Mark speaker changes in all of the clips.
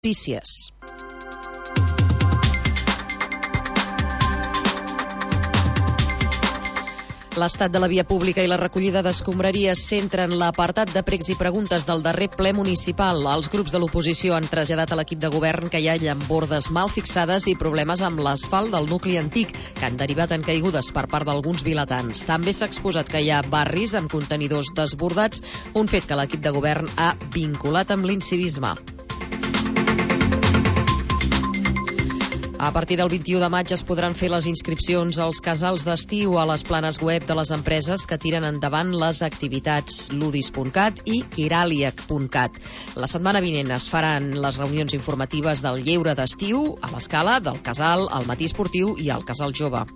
Speaker 1: Notícies. L'estat de la via pública i la recollida d'escombraries centren l'apartat de pregs i preguntes del darrer ple municipal. Els grups de l'oposició han traslladat a l'equip de govern que hi ha llambordes mal fixades i problemes amb l'asfalt del nucli antic, que han derivat en caigudes per part d'alguns vilatans. També s'ha exposat que hi ha barris amb contenidors desbordats, un fet que l'equip de govern ha vinculat amb l'incivisme. A partir del 21 de maig es podran fer les inscripcions als casals d'estiu a les planes web de les empreses que tiren endavant les activitats ludis.cat i kiraliac.cat. La setmana vinent es faran les reunions informatives del lleure d'estiu a l'Escala, del Casal, al Matí Esportiu i al Casal Jove.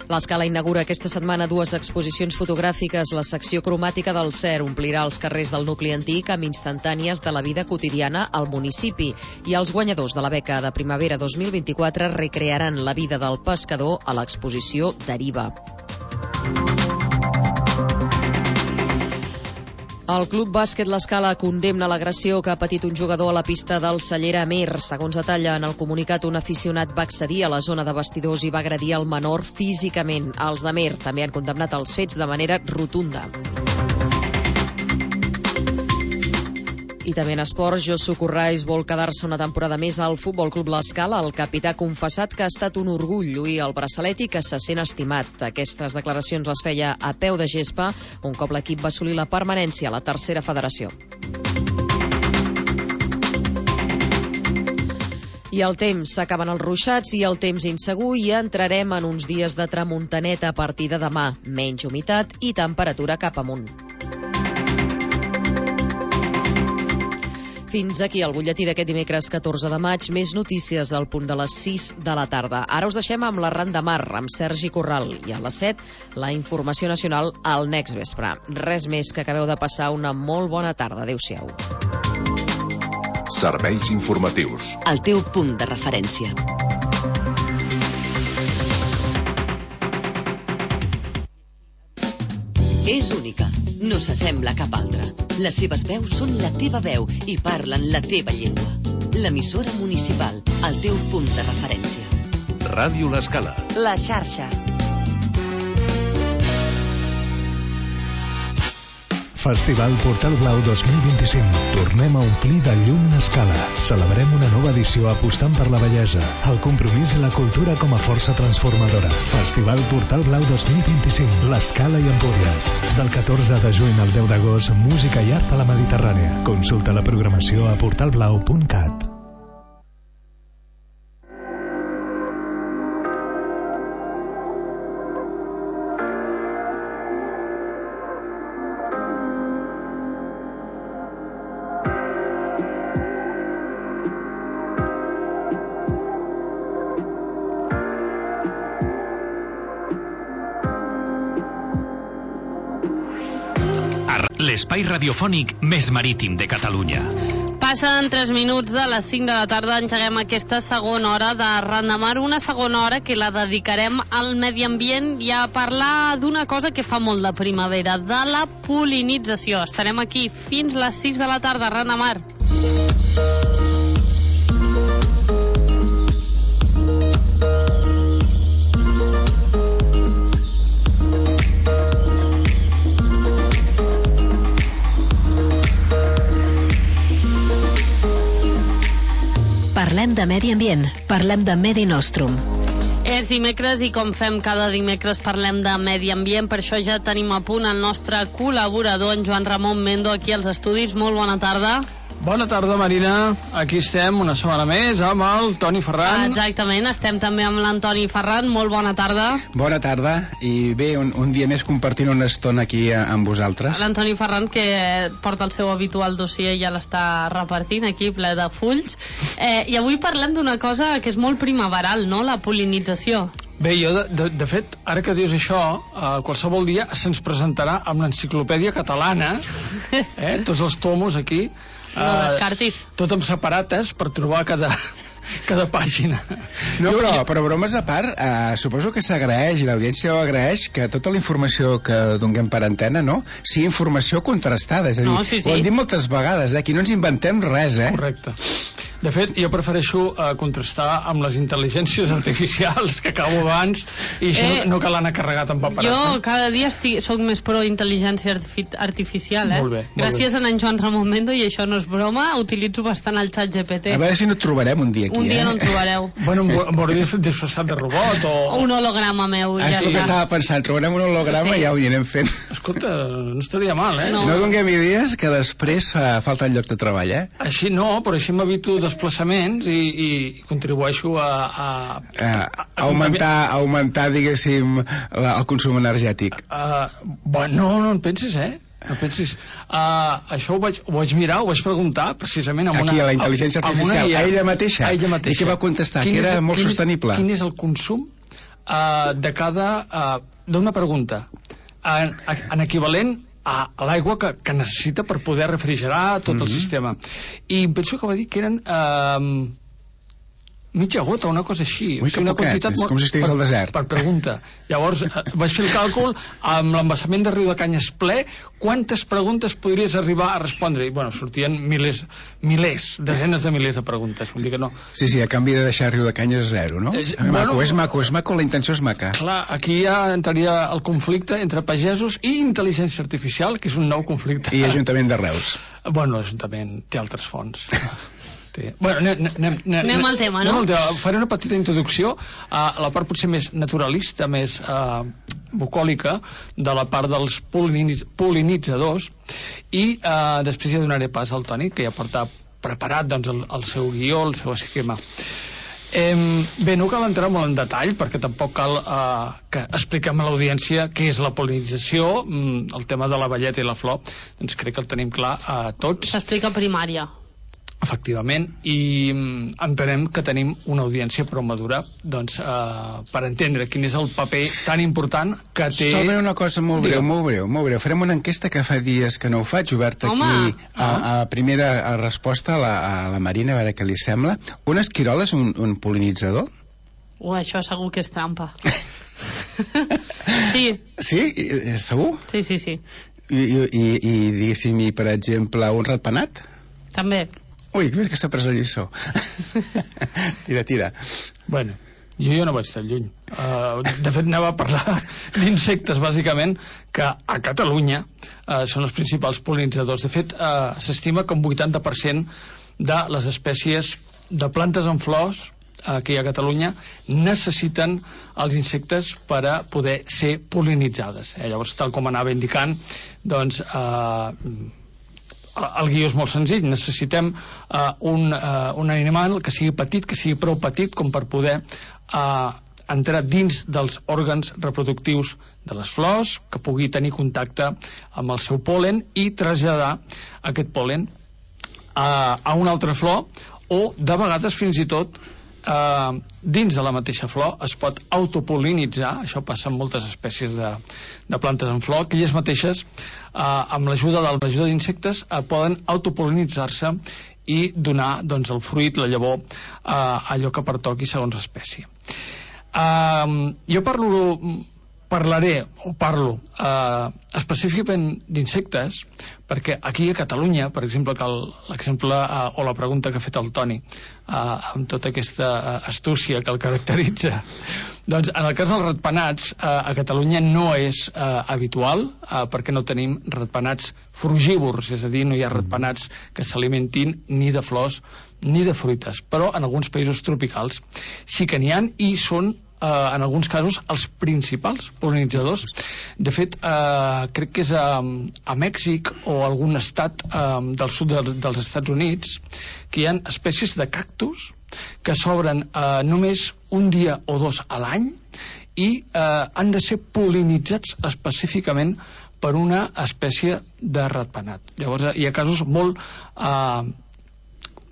Speaker 1: L'Escala inaugura aquesta setmana 2 exposicions fotogràfiques. La secció cromàtica del CER omplirà els carrers del nucli antic amb instantànies de la vida quotidiana al municipi. I els guanyadors de la beca de primavera 2024 recrearan la vida del pescador a l'exposició Deriva. El Club Bàsquet L'Escala condemna l'agressió que ha patit un jugador a la pista del Cellera Amer. Segons detalla en el comunicat, un aficionat va accedir a la zona de vestidors i va agredir el menor físicament. Els d'Amer també han condemnat els fets de manera rotunda. I també en esports, Josu Corrais vol quedar-se una temporada més al Futbol Club L'Escala. El capità ha confessat que ha estat un orgull lluir el braçalet i que se sent estimat. Aquestes declaracions les feia a peu de gespa un cop l'equip va assolir la permanència a la tercera federació. I el temps, s'acaben els ruixats i el temps insegur i entrarem en uns dies de tramuntaneta a partir de demà. Menys humitat i temperatura cap amunt. Fins aquí el butlletí d'aquest dimecres 14 de maig. Més notícies al punt de les 6 de la tarda. Ara us deixem amb l'Arran de Mar, amb Sergi Corral. I a les 7, la informació nacional al next vespre. Res més, que acabeu de passar una molt bona tarda. Adéu-siau.
Speaker 2: Serveis informatius.
Speaker 3: El teu punt de referència. És única. No s'assembla a cap altra. Les seves veus són la teva veu i parlen la teva llengua. L'emissora municipal, el teu punt de referència.
Speaker 2: Ràdio L'Escala.
Speaker 1: La xarxa.
Speaker 4: Festival Portal Blau 2025. Tornem a omplir de llum l'Escala. Celebrem una nova edició apostant per la bellesa, el compromís i la cultura com a força transformadora. Festival Portal Blau 2025. L'Escala i Empúries. Del 14 de juny al 10 d'agost, música i art a la Mediterrània. Consulta la programació a portalblau.cat.
Speaker 5: L'espai radiofònic més marítim de Catalunya.
Speaker 6: Passen 3 minuts de les 5 de la tarda, engeguem aquesta segona hora de Arran de Mar, una segona hora que la dedicarem al medi ambient i a parlar d'una cosa que fa molt de primavera, de la pol·linització. Estarem aquí fins les 6 de la tarda, Arran de Mar.
Speaker 3: Parlem de medi ambient, parlem de Medi Nostrum.
Speaker 6: És dimecres i com fem cada dimecres parlem de medi ambient, per això ja tenim a punt el nostre col·laborador, en Joan Ramon Mendo, aquí als estudis. Molt bona tarda.
Speaker 7: Bona tarda, Marina. Aquí estem una setmana més amb el Toni Ferran.
Speaker 6: Exactament, estem també amb l'Antoni Ferran. Molt bona tarda.
Speaker 8: Bona tarda, i bé, un dia més compartint una estona aquí amb vosaltres.
Speaker 6: L'Antoni Ferran, que porta el seu habitual dossier i ja l'està repartint aquí, ple de fulls. I avui parlem d'una cosa que és molt primaveral, no?, la pol·linització.
Speaker 7: Bé, jo, de fet, ara que dius això, qualsevol dia se'ns presentarà amb l'enciclopèdia catalana, tots els tomos aquí,
Speaker 6: no descartis.
Speaker 7: Tot amb separates per trobar cada cada pàgina.
Speaker 8: No, però bromes a part, suposo que s'agraeix, i l'audiència ho agraeix, que tota la informació que donem per antena, no?, sigui informació contrastada. És a dir, ho hem dit moltes vegades, aquí no ens inventem res,
Speaker 7: Correcte. De fet, jo prefereixo contrastar amb les intel·ligències artificials que acabo abans, i això no cal anar carregat amb paperat.
Speaker 6: Jo cada dia soc més pro intel·ligència artificial,
Speaker 7: Molt bé.
Speaker 6: Gràcies a en Joan Ramon Mendo, i això no és broma, utilitzo bastant el xat GPT.
Speaker 8: A veure si no et trobarem un dia aquí,
Speaker 6: Un dia no en trobareu.
Speaker 7: Bueno, m'hauria disfressat de robot o
Speaker 6: un holograma meu.
Speaker 8: Això que estava pensant, trobarem un holograma i ja ho anirem fent.
Speaker 7: Escolta, no estaria mal,
Speaker 8: No donem idees que després falten llocs de treball,
Speaker 7: Així no, però així m'evito desplaçaments i contribueixo a
Speaker 8: augmentar, diguéssim, el consum energètic.
Speaker 7: No en pensis, no pensis. Això ho vaig mirar, ho vaig preguntar precisament a
Speaker 8: la intel·ligència artificial, a ella mateixa. I què va contestar? Que era molt sostenible.
Speaker 7: Quin és el consum d'una pregunta en equivalent a l'aigua que necessita per poder refrigerar tot el sistema. I em penso que va dir que eren mitja gota, una cosa així.
Speaker 8: Ui, que poquet, és com si estigués al desert.
Speaker 7: Per pregunta. Llavors vaig fer el càlcul amb l'embassament de Riu de Canyes ple, quantes preguntes podries arribar a respondre. I bueno, sortien milers, desenes de milers de preguntes. Vull dir que no.
Speaker 8: Sí, a canvi de deixar Riu de Canyes a zero, no? És maco, la intenció és maca.
Speaker 7: Clar, aquí ja entraria el conflicte entre pagesos i intel·ligència artificial, que és un nou conflicte.
Speaker 8: I Ajuntament de Reus.
Speaker 7: Bueno, l'Ajuntament té altres fons. Bueno,
Speaker 6: anem al tema, no?
Speaker 7: Faré una petita introducció a la part potser més naturalista, més bucòlica, de la part dels pol·linitzadors, i després ja donaré pas al Toni, que ja porta preparat el seu guió, el seu esquema. Bé, no cal entrar molt en detall, perquè tampoc cal que expliquem a l'audiència què és la pol·linització, el tema de la velleta i la flor, doncs crec que el tenim clar a tots.
Speaker 6: S'explica primària.
Speaker 7: Efectivament, i entenem que tenim una audiència prou madura per entendre quin és el paper tan important que té...
Speaker 8: Solament una cosa molt breu. Farem una enquesta que fa dies que no ho faig, obert aquí a primera resposta a la Marina, a veure què li sembla. Un esquirol és un pol·linitzador?
Speaker 6: Això segur que és trampa. Sí.
Speaker 8: Sí? Segur?
Speaker 6: Sí.
Speaker 8: I diguéssim, per exemple, un ratpenat?
Speaker 6: També.
Speaker 8: Ui, que s'ha pres la lliçó. Tira.
Speaker 7: Bueno, jo no vaig tan lluny. De fet, anava a parlar d'insectes, bàsicament, que a Catalunya són els principals pol·linitzadors. De fet, s'estima que un 80% de les espècies de plantes amb flors que hi ha a Catalunya necessiten els insectes per a poder ser pol·linitzades. Llavors, tal com anava indicant, doncs... el guió és molt senzill. Necessitem un animal que sigui petit, que sigui prou petit com per poder entrar dins dels òrgans reproductius de les flors, que pugui tenir contacte amb el seu pol·len i traslladar aquest pol·len a una altra flor, o de vegades fins i tot dins de la mateixa flor es pot autopol·linitzar. Això passa amb moltes espècies de plantes en flor, que elles mateixes amb l'ajuda d'insectes poden autopol·linitzar-se i donar el fruit, la llavor, allò que pertoqui segons l'espècie. Jo parlo específicament d'insectes perquè aquí a Catalunya, per exemple, l'exemple o la pregunta que ha fet el Toni amb tota aquesta astúcia que el caracteritza, doncs en el cas dels ratpenats a Catalunya no és habitual, perquè no tenim ratpenats frugívors, és a dir, no hi ha ratpenats que s'alimentin ni de flors ni de fruites, però en alguns països tropicals sí que n'hi ha i són en alguns casos els principals pol·linitzadors. De fet, crec que és a Mèxic o algun estat del sud dels Estats Units que hi ha espècies de cactus que s'obren només un dia o dos a l'any i han de ser pol·linitzats específicament per una espècie de ratpenat. Llavors hi ha casos molt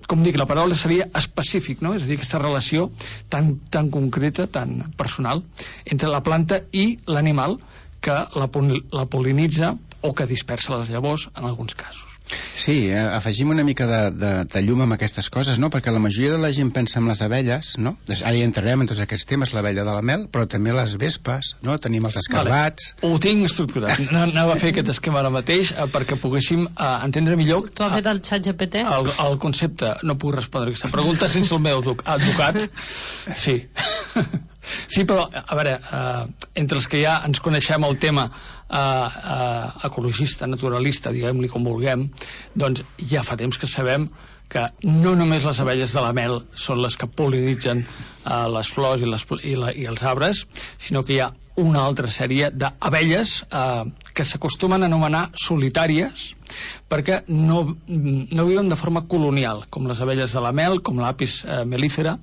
Speaker 7: com dic, la paraula seria específic, no? És a dir, aquesta relació tan concreta, tan personal entre la planta i l'animal que la pol·linitza o que dispersa les llavors en alguns casos.
Speaker 8: Sí, afegim una mica de llum amb aquestes coses, no? Perquè la majoria de la gent pensa en les abelles, no? Ara hi entrarem en tots aquests temes, l'abella de la mel, però també les vespes, no? Tenim els escarbats...
Speaker 7: Vale. Ho tinc estructurat. Anava a fer aquest esquema ara mateix perquè poguéssim entendre millor...
Speaker 6: Tu has fet el xat GPT?
Speaker 7: El concepte. No puc respondre aquesta pregunta sense el meu advocat. Sí. Sí, però, a veure, entre els que ja ens coneixem el tema ecologista, naturalista, diguem-li com vulguem, doncs ja fa temps que sabem que no només les abelles de la mel són les que pol·linitzen les flors i els arbres, sinó que hi ha una altra sèrie d'abelles que s'acostumen a anomenar solitàries perquè no viuen de forma colonial, com les abelles de la mel, com l'apis mellifera,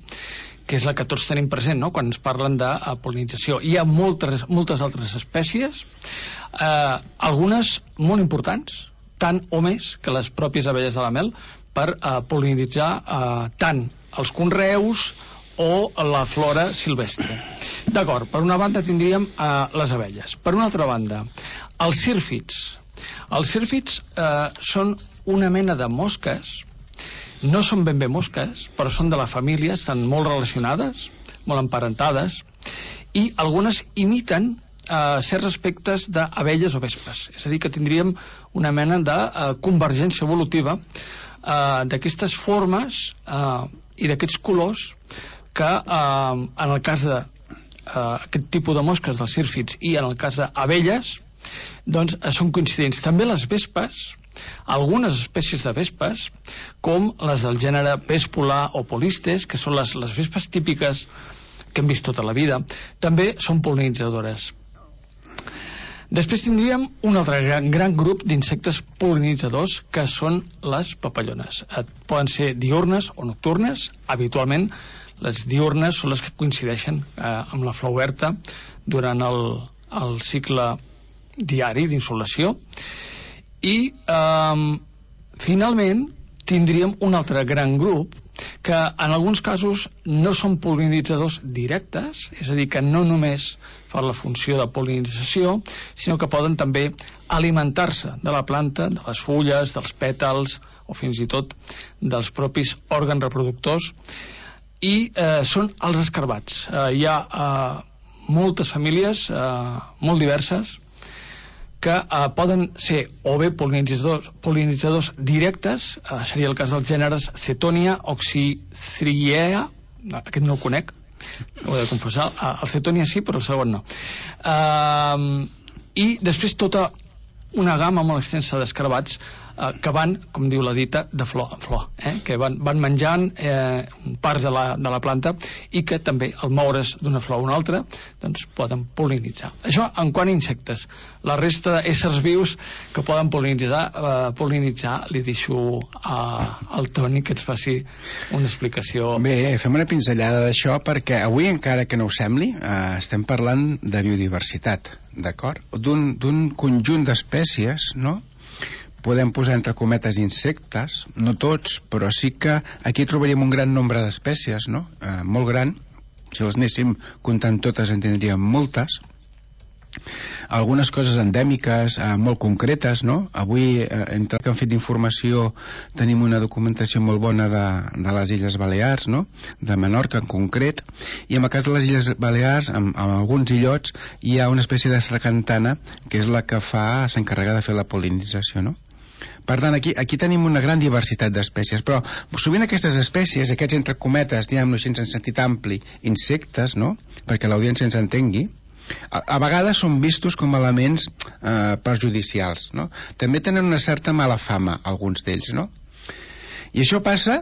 Speaker 7: que és la que tots tenim present, no?, quan ens parlen de pol·linització. Hi ha moltes altres espècies, algunes molt importants, tant o més que les pròpies abelles de la mel, per pol·linitzar tant els conreus o la flora silvestre. D'acord, per una banda tindríem les abelles. Per una altra banda, els sírfids. Els sírfids són una mena de mosques. No són ben bé mosques, però són de la família, estan molt relacionades, molt emparentades, i algunes imiten certs aspectes d'abelles o vespes. És a dir, que tindríem una mena de convergència evolutiva d'aquestes formes i d'aquests colors que en el cas d'aquest tipus de mosques dels sírfids i en el cas d'abelles doncs són coincidents. També les vespes, algunes espècies de vespes, com les del gènere Vespula o Polistes, que són les vespes típiques que hem vist tota la vida, també són pol·linitzadores. Després tindríem un altre gran grup d'insectes pol·linitzadors, que són les papallones. Poden ser diürnes o nocturnes. Habitualment les diürnes són les que coincideixen amb la flor oberta durant el cicle diari d'insolació. I finalment tindríem un altre gran grup que en alguns casos no són pol·linitzadors directes, és a dir, que no només fan la funció de pol·linització, sinó que poden també alimentar-se de la planta, de les fulles, dels pètals o fins i tot dels propis òrgans reproductors, i són els escarbats. Hi ha moltes famílies molt diverses que poden ser o bé pol·linitzadors directes, seria el cas dels gèneres Cetonia, Oxythriea, aquest no el conec, ho he de confessar, el Cetonia sí, però el segon no. I després tota una gamma molt extensa d'escarbats que van, com diu la dita, de flor en flor, que van menjant parts de la planta i que també al moure's d'una flor a una altra doncs poden pol·linitzar. Això en quant a insectes. La resta d'éssers vius que poden pol·linitzar li deixo al Toni que ens faci una explicació.
Speaker 8: Bé, fem una pinzellada d'això perquè avui, encara que no ho sembli, estem parlant de biodiversitat, d'acord? D'un conjunt d'espècies, no? Podem posar entre cometes insectes, no tots, però sí que aquí trobaríem un gran nombre d'espècies, no? Molt gran. Si les anéssim comptant totes en tindríem moltes. Algunes coses endèmiques, molt concretes, no? Avui, entre el que han fet d'informació, tenim una documentació molt bona de les Illes Balears, no? De Menorca en concret, i en el cas de les Illes Balears, en alguns illots, hi ha una espècie de sargantana que és la que s'encarrega de fer la pol·linització, no? Per tant, aquí tenim una gran diversitat d'espècies, però sovint aquestes espècies, aquests entre cometes, diguem-ho així en sentit ampli, insectes, no?, perquè l'audiència ens entengui, a vegades són vistos com elements perjudicials, no? També tenen una certa mala fama, alguns d'ells, no? I això passa,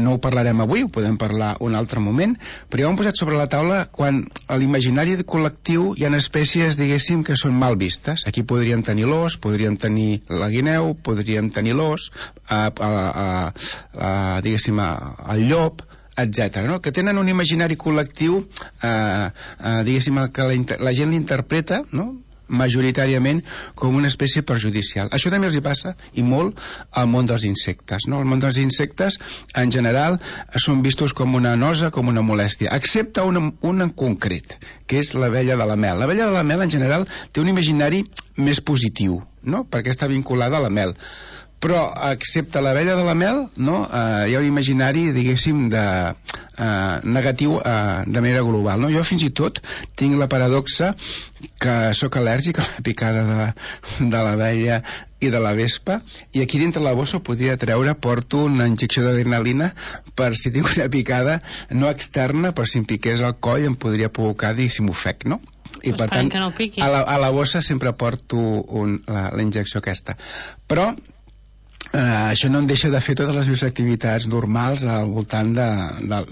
Speaker 8: no ho parlarem avui, ho podem parlar un altre moment, però ja ho hem posat sobre la taula quan a l'imaginari col·lectiu hi ha espècies, diguéssim, que són mal vistes. Aquí podríem tenir l'ós, podríem tenir la guineu, podríem tenir l'ós, diguéssim, el llop, etc., no? Que tenen un imaginari col·lectiu, diguéssim, que la gent l'interpreta, no?, majoritàriament com una espècie perjudicial. Això també els hi passa, i molt, al món dels insectes, no? El món dels insectes, en general, són vistos com una nosa, com una molèstia, excepte un en concret, que és l'abella de la mel. L'abella de la mel, en general, té un imaginari més positiu, no?, perquè està vinculada a la mel. Però, excepte l'abella de la mel, no? Hi ha un imaginari, diguéssim, negatiu de manera global, no? Jo fins i tot tinc la paradoxa que sóc al·lèrgic a la picada de l'abella i de la vespa, i aquí dintre la bossa porto una injecció d'adrenalina per si tinc una picada no externa, però si em piqués al coll em podria provocar si m'ofec, no? I per tant,
Speaker 6: no
Speaker 8: a la bossa sempre porto la injecció aquesta. Però això no em deixa de fer totes les meves activitats normals al voltant de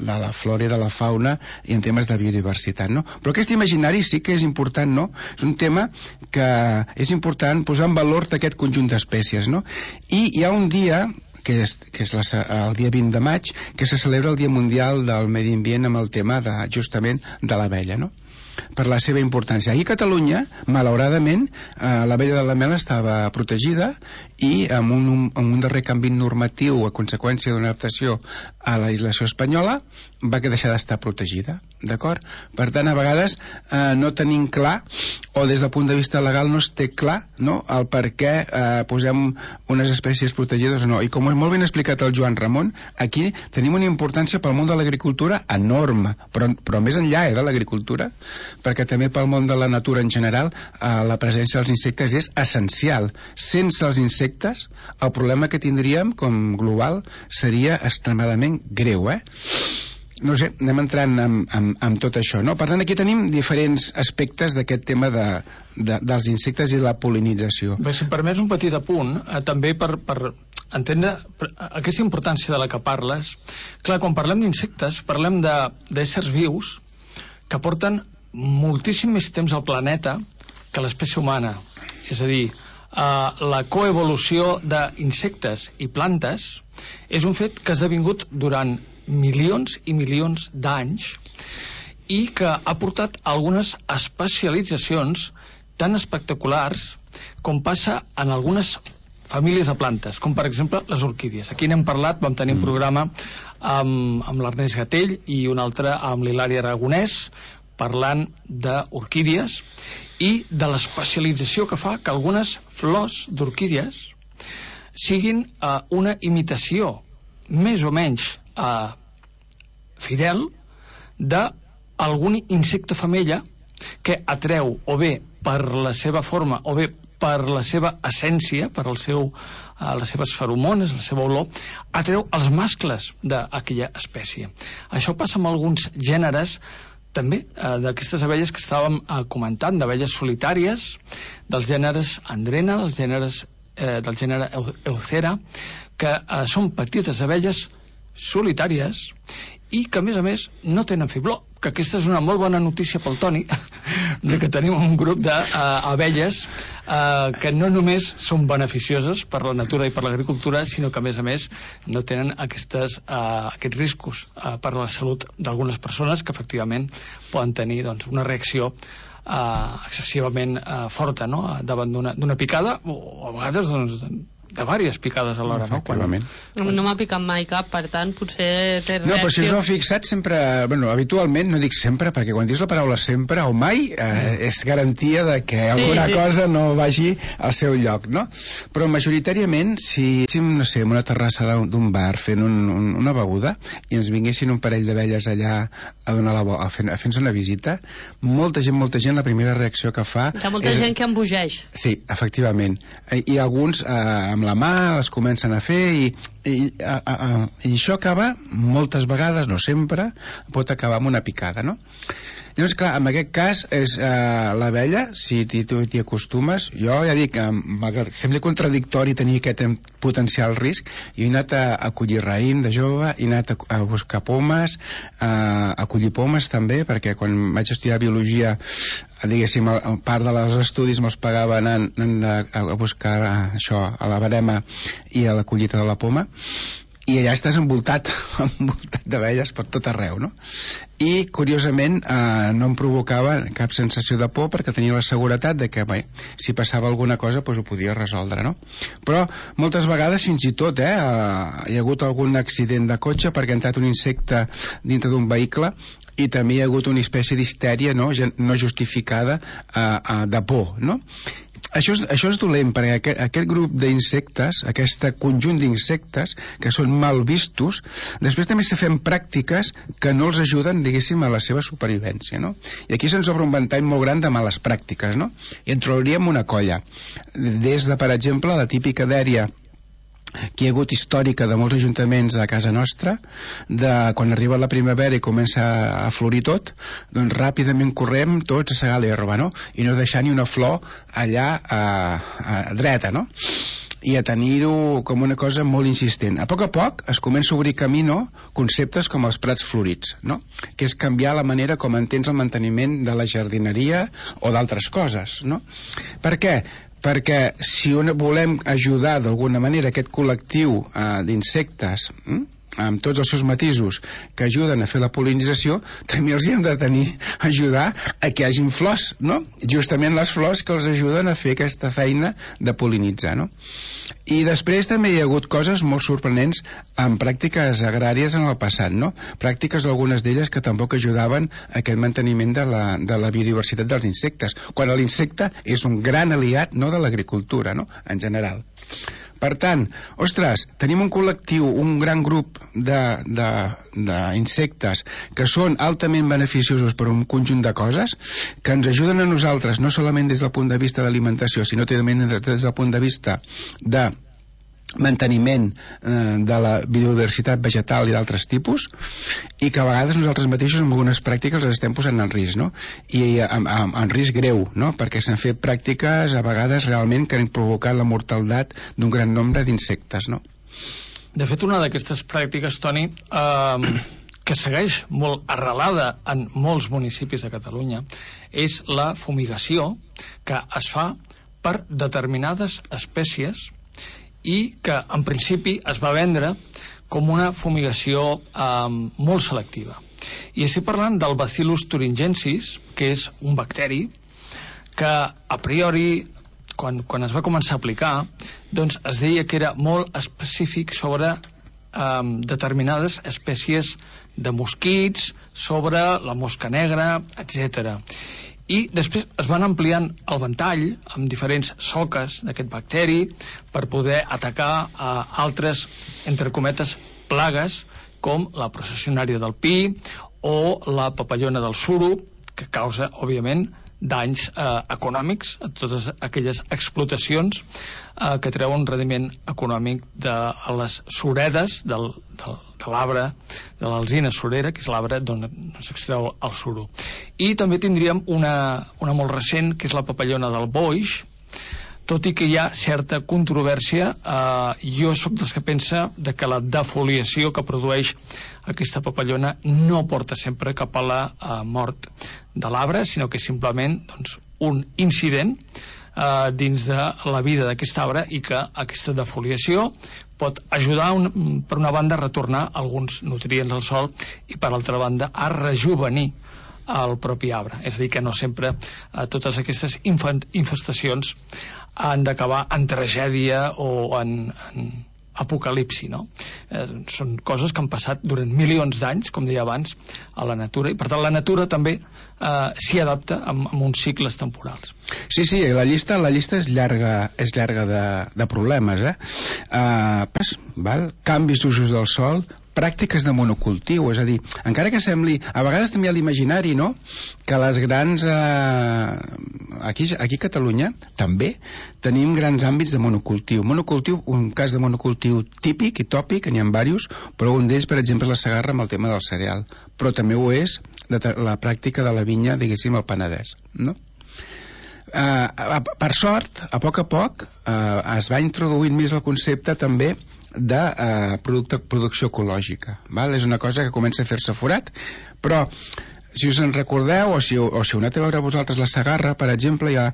Speaker 8: la flora i de la fauna i en temes de biodiversitat, no? Però aquest imaginari sí que és important, no? És un tema que és important posar en valor aquest conjunt d'espècies, no? I hi ha un dia que és el dia 20 de maig, que se celebra el Dia Mundial del Medi Ambient amb el tema justament de l'abella, no? Per la seva importància. Aquí a Catalunya, malauradament, l'abella de la mel estava protegida i amb un darrer canvi normatiu a conseqüència d'una adaptació a la legislació espanyola va deixar d'estar protegida, d'acord? Per tant, a vegades no tenim clar, o des del punt de vista legal no es té clar, no?, el per què posem unes espècies protegides o no. I com és molt ben explicat el Joan Ramon, aquí tenim una importància pel món de l'agricultura enorme, però més enllà de l'agricultura, perquè també pel món de la natura en general la presència dels insectes és essencial. Sense els insectes el problema que tindríem com global seria extremadament greu, No sé, anem entrant amb tot això, no? Per tant, aquí tenim diferents aspectes d'aquest tema dels insectes i la pol·linització.
Speaker 7: Bé, si em permets un petit apunt, també per entendre aquesta importància de la que parles. Clar, quan parlem d'insectes, parlem d'éssers vius que porten moltíssim més temps al planeta que l'espècie humana. És a dir, la coevolució d'insectes i plantes és un fet que ha esdevingut durant milions i milions d'anys i que ha portat algunes especialitzacions tan espectaculars com passa en algunes famílies de plantes, com per exemple les orquídies. Aquí n'hem parlat, vam tenir un programa amb l'Ernest Gatell i un altre amb l'Hilari Aragonès parlant d'orquídies i de l'especialització que fa que algunes flors d'orquídies siguin una imitació més o menys fidel d'algun insecte femella que atreu o bé per la seva forma o bé per la seva essència, per les seves feromones, la seva olor, atreu els mascles d'aquella espècie. Això passa amb alguns gèneres també d'aquestes abelles que estàvem comentant, d'abelles solitàries, dels gèneres Andrena, del gènere Eucera, que són petites abelles solitàries i que a més no tenen fibló, que aquesta és una molt bona notícia pel Toni, que tenim un grup d'abelles que no només són beneficioses per la natura i per l'agricultura, sinó que a més no tenen aquests riscos per a la salut d'algunes persones que efectivament poden tenir una reacció excessivament forta, no?, davant d'una picada o a vegades de diverses picades alhora, no?
Speaker 6: No m'ha picat mai cap, per tant, potser té reacció.
Speaker 8: No, però si us heu fixat sempre, habitualment, no dic sempre, perquè quan dius la paraula sempre o mai, és garantia de que alguna cosa no vagi al seu lloc, no? Però majoritàriament, si no sé, en una terrassa d'un bar fent una beguda i ens vinguessin un parell d'abelles allà a fer-nos una visita, molta gent, la primera reacció que fa...
Speaker 6: Hi ha molta gent que embogeix.
Speaker 8: Sí, efectivament. I alguns amb la mà les comencen a fer i això acaba moltes vegades, no sempre, pot acabar amb una picada, no? Llavors, clar, en aquest cas és l'abella, si t'hi acostumes, jo ja dic, malgrat que sembla contradictori tenir aquest potencial risc, jo he anat a collir raïm de jove, he anat a buscar pomes, a collir pomes també, perquè quan vaig estudiar biologia, diguéssim, part dels estudis me'ls pagava anant a buscar això a la verema i a la collita de la poma, i allà estàs envoltat d'abelles per tot arreu, no? I, curiosament, no em provocava cap sensació de por perquè tenia la seguretat de que, si passava alguna cosa, doncs ho podia resoldre, no? Però, moltes vegades, fins i tot, hi ha hagut algun accident de cotxe perquè ha entrat un insecte dintre d'un vehicle i també hi ha hagut una espècie d'histèria no justificada de por, no? això és dolent, perquè aquest grup d'insectes, aquest conjunt d'insectes que són mal vistos, després també se fem pràctiques que no els ajuden, diguéssim, a la seva supervivència, no? I aquí se'ns obre un ventall molt gran de males pràctiques, no? I en trobaríem una colla. Des de, per exemple, la típica dèria que hi ha hagut històrica de molts ajuntaments a casa nostra, de quan arriba la primavera i comença a florir tot, doncs ràpidament correm tots a segar l'herba, no? I no deixar ni una flor allà dreta, no? I a tenir-ho com una cosa molt insistent. A poc es comença a obrir camí, no? Conceptes com els prats florits, no? Que és canviar la manera com entens el manteniment de la jardineria o d'altres coses, no? Per què? Perquè si volem ajudar d'alguna manera aquest col·lectiu d'insectes amb tots els seus matisos que ajuden a fer la pol·linització, també els hem de ajudar a que hi hagin flors, no? Justament les flors que els ajuden a fer aquesta feina de pol·linitzar, no? I després també hi ha hagut coses molt sorprenents en pràctiques agràries en el passat, no? Pràctiques, algunes d'elles, que tampoc ajudaven a aquest manteniment de la biodiversitat dels insectes, quan l'insecte és un gran aliat, no, de l'agricultura, no?, en general. Per tant, ostres, tenim un col·lectiu, un gran grup d'insectes que són altament beneficiosos per un conjunt de coses, que ens ajuden a nosaltres, no solament des del punt de vista d'alimentació, sinó també des del punt de vista de manteniment de la biodiversitat vegetal i d'altres tipus, i que a vegades nosaltres mateixos amb algunes pràctiques les estem posant en risc, no? I en risc greu, no? Perquè s'han fet pràctiques a vegades realment que han provocat la mortaldat d'un gran nombre d'insectes, no?
Speaker 7: De fet, una d'aquestes pràctiques, Toni, que segueix molt arrelada en molts municipis de Catalunya, és la fumigació que es fa per determinades espècies i que en principi es va vendre com una fumigació molt selectiva. I estic parlant del Bacillus thuringiensis, que és un bacteri que a priori, quan es va començar a aplicar, doncs es deia que era molt específic sobre determinades espècies de mosquits, sobre la mosca negra, etc. I després es van ampliant el ventall amb diferents soques d'aquest bacteri per poder atacar altres, entre cometes, plagues com la processionària del pi o la papallona del suro, que causa, òbviament, danys econòmics a totes aquelles explotacions que treuen un rendiment econòmic de les suredes de l'arbre, de l'alzina surera, que és l'arbre d'on s'extreu el suro. I també tindríem una molt recent, que és la papallona del boix. Tot i que hi ha certa controvèrsia, jo sóc dels que pensa que la defoliació que produeix aquesta papallona no porta sempre cap a la mort de l'arbre, sinó que és simplement un incident dins de la vida d'aquest arbre, i que aquesta defoliació pot ajudar, per una banda, a retornar alguns nutrients al sòl i, per altra banda, a rejuvenir el propi arbre. És a dir, que no sempre totes aquestes infestacions han d'acabar en tragèdia o en apocalipsi, no? Són coses que han passat durant milions d'anys, com deia abans, a la natura, i per tant la natura també s'hi adapta amb uns cicles temporals.
Speaker 8: Sí, la llista és llarga de problemes, canvis d'usos del sòl, pràctiques de monocultiu, és a dir, encara que sembli, a vegades també a l'imaginari, no?, que les grans aquí a Catalunya també tenim grans àmbits de monocultiu. Un cas de monocultiu típic i tòpic, n'hi ha diversos, però un d'ells, per exemple, és la Segarra amb el tema del cereal, però també ho és la pràctica de la vinya, diguéssim, al Penedès, no? Per sort, a poc es va introduint més el concepte també de producció ecològica, val? És una cosa que comença a fer-se forat, però si us en recordeu, o si heu anat a veure vosaltres la Segarra, per exemple, hi ha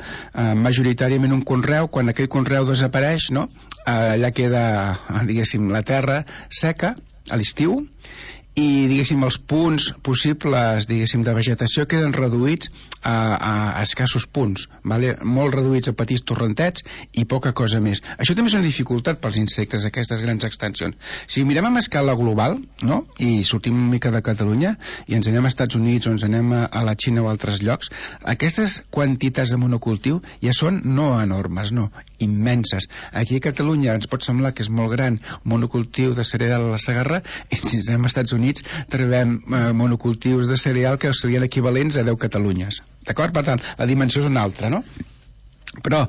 Speaker 8: majoritàriament un conreu. Quan aquell conreu desapareix, no?, allà queda, diguéssim, la terra seca a l'estiu, i, diguéssim, els punts possibles, diguéssim, de vegetació queden reduïts a escassos punts, vale? Molt reduïts a petits torrentets i poca cosa més. Això també és una dificultat pels insectes, aquestes grans extensions. Si mirem a escala global, no?, i sortim una mica de Catalunya i ens anem a Estats Units o ens anem a la Xina o a altres llocs, aquestes quantitats de monocultiu ja són no enormes, no, immenses. Aquí a Catalunya ens pot semblar que és molt gran un monocultiu de cereal a la Segarra, i si anem als Estats Units trobem monocultius de cereal que serien equivalents a 10 Catalunyes. D'acord? Per tant, la dimensió és una altra, no? Però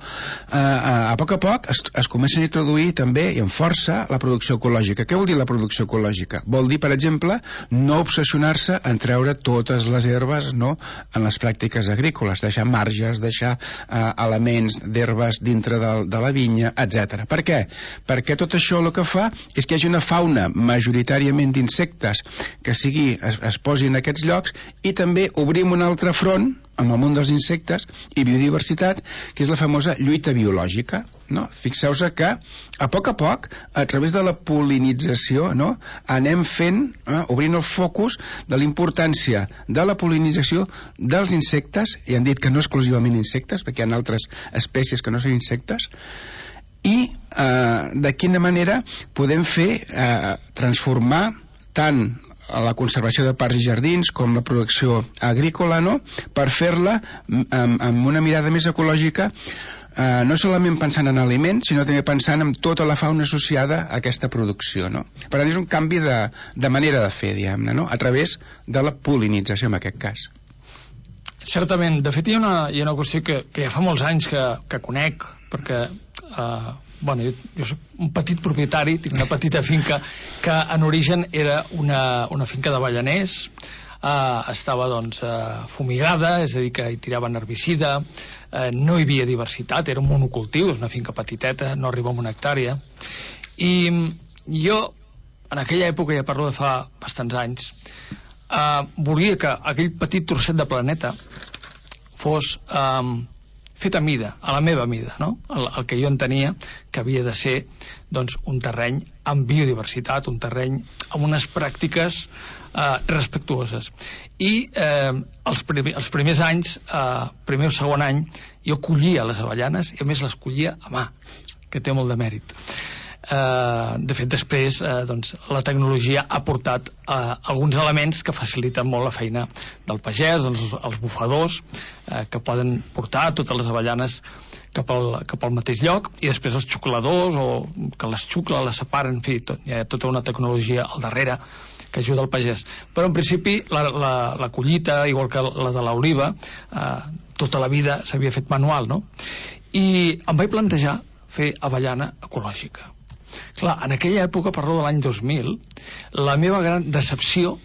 Speaker 8: a poc es comença a introduir també i amb força la producció ecològica. Què vol dir la producció ecològica? Vol dir, per exemple, no obsessionar-se en treure totes les herbes, no?, en les pràctiques agrícoles, deixar marges, deixar elements d'herbes dintre de la vinya, etc. Per què? Perquè tot això el que fa és que hi hagi una fauna majoritàriament d'insectes que es posi en aquests llocs, i també obrim un altre front amb el món dels insectes i biodiversitat, que és la famosa lluita biològica, no? Fixeu-vos que a poc, a través de la pol·linització, no?, anem obrint el focus de la importància de la pol·linització dels insectes, i han dit que no exclusivament insectes, perquè hi ha altres espècies que no són insectes, i de quina manera podem transformar tant a la conservació de parcs i jardins com la producció agrícola, no?, per fer-la amb una mirada més ecològica, no solament pensant en aliments, sinó també pensant en tota la fauna associada a aquesta producció, no? Per tant, és un canvi de manera de fer, diguem-ne, no?, a través de la pol·linització, en aquest cas.
Speaker 7: Certament. De fet, hi ha una qüestió que ja fa molts anys que conec, perquè jo soc un petit propietari, tinc una petita finca que en origen era una finca d'avellaners, estava fumigada, és a dir, que hi tiraven herbicida, no hi havia diversitat, era un monocultiu, és una finca petiteta, no arriba a 1 hectàrea, i jo en aquella època, ja parlo de fa bastants anys, volia que aquell petit trosset de planeta fos fet a mida, a la meva mida, no? El que jo entenia que havia de ser un terreny amb biodiversitat, un terreny amb unes pràctiques respectuoses. I els primers anys, primer o segon any, jo collia les avellanes, i a més les collia a mà, que té molt de mèrit. De fet, després la tecnologia ha portat alguns elements que faciliten molt la feina del pagès, els bufadors que poden portar totes les avellanes cap al mateix lloc, i després els xucladors, o que les xucla, les separen, en fi, hi ha tota una tecnologia al darrere que ajuda el pagès. Però en principi la collita, igual que la de l'oliva, tota la vida s'havia fet manual, no? I em vaig plantejar fer avellana ecològica. Clar, en aquella època, parlo de l'any 2000, la meva gran decepció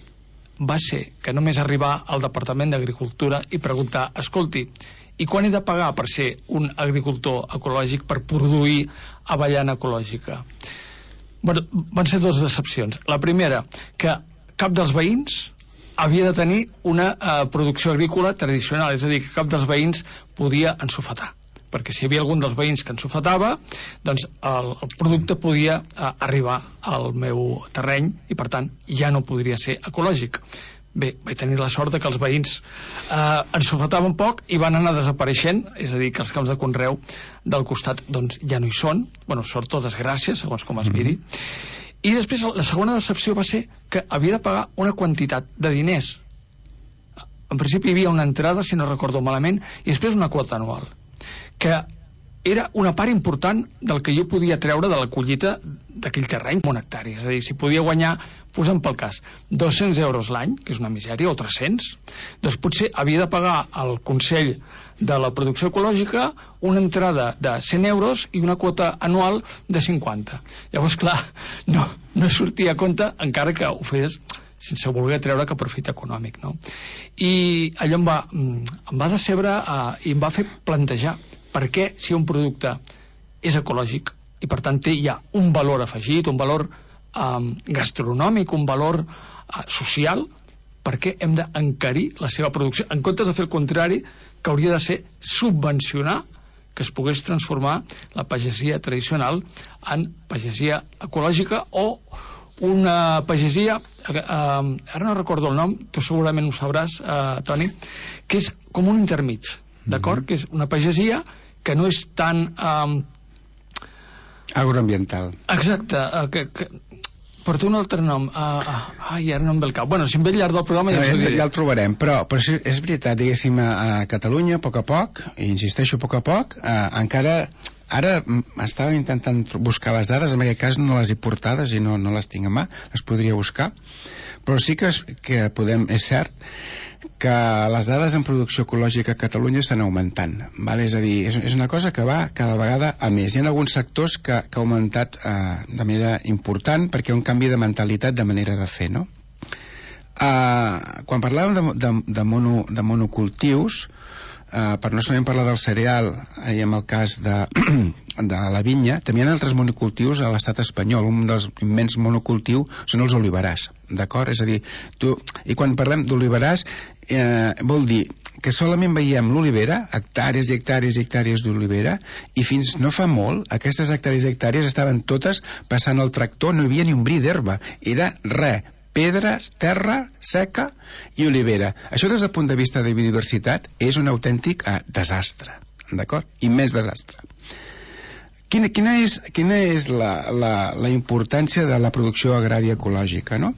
Speaker 7: va ser que només arribar al Departament d'Agricultura i preguntar, escolti, i quan he de pagar per ser un agricultor ecològic, per produir avellana ecològica? Bueno, van ser 2 decepcions. La primera, que cap dels veïns havia de tenir una producció agrícola tradicional, és a dir, que cap dels veïns podia ensofetar, perquè si hi havia algun dels veïns que ensofetava, doncs el producte podia arribar al meu terreny i, per tant, ja no podria ser ecològic. Bé, vaig tenir la sort que els veïns ensofetaven poc i van anar desapareixent, és a dir, que els camps de conreu del costat doncs ja no hi són, bueno, sort o desgràcia, segons com es miri. I després la segona decepció va ser que havia de pagar una quantitat de diners. En principi hi havia una entrada, si no recordo malament, i després una quota anual, que era una part important del que jo podia treure de la collita d'aquell terreny, 1 hectàrea. És a dir, si podia guanyar, posem pel cas, 200 euros l'any, que és una misèria, o 300, doncs potser havia de pagar al Consell de la Producció Ecològica una entrada de 100 euros i una quota anual de 50. Llavors, clar, no sortia a compte, encara que ho fes sense voler treure cap profit econòmic, no? I allò em va decebre i em va fer plantejar per què, si un producte és ecològic i per tant té ja un valor afegit, un valor gastronòmic, un valor social, per què hem d'encarir la seva producció, en comptes de fer el contrari, que hauria de ser subvencionar que es pogués transformar la pagesia tradicional en pagesia ecològica o una pagesia, ara no recordo el nom, tu segurament ho sabràs, Toni, que és com un intermig, d'acord? Que és una pagesia que no és tan...
Speaker 8: agroambiental.
Speaker 7: Exacte, que porta un altre nom. Ai, ara no em ve el cap. Bueno, si em ve al llarg del programa ja
Speaker 8: el trobarem, però és veritat, diguéssim, a Catalunya, a poc, i insisteixo, a poc, encara... Ara estava intentant buscar les dades, en aquest cas no les he portades i no les tinc a mà, les podria buscar, però sí que podem, és cert, que les dades en producció ecològica a Catalunya estan augmentant, val? És a dir, és una cosa que va cada vegada a més. Hi ha alguns sectors que ha augmentat de manera important perquè hi ha un canvi de mentalitat, de manera de fer, no? Quan parlàvem de monocultius, per no solament parlar del cereal i en el cas de la vinya, també hi ha altres monocultius a l'estat espanyol. Un dels immens monocultius són els oliverars, d'acord? És a dir, i quan parlem d'oliverars vol dir que solament veiem l'olivera, hectàrees i hectàrees i hectàrees d'olivera, i fins no fa molt aquestes hectàrees i hectàrees estaven totes passant el tractor, no hi havia ni un bri d'herba, era res, pedres, terra seca i olivera. Això des del punt de vista de biodiversitat és un autèntic desastre, d'acord? Immens desastre. Quina és la importància de la producció agrària ecològica, no?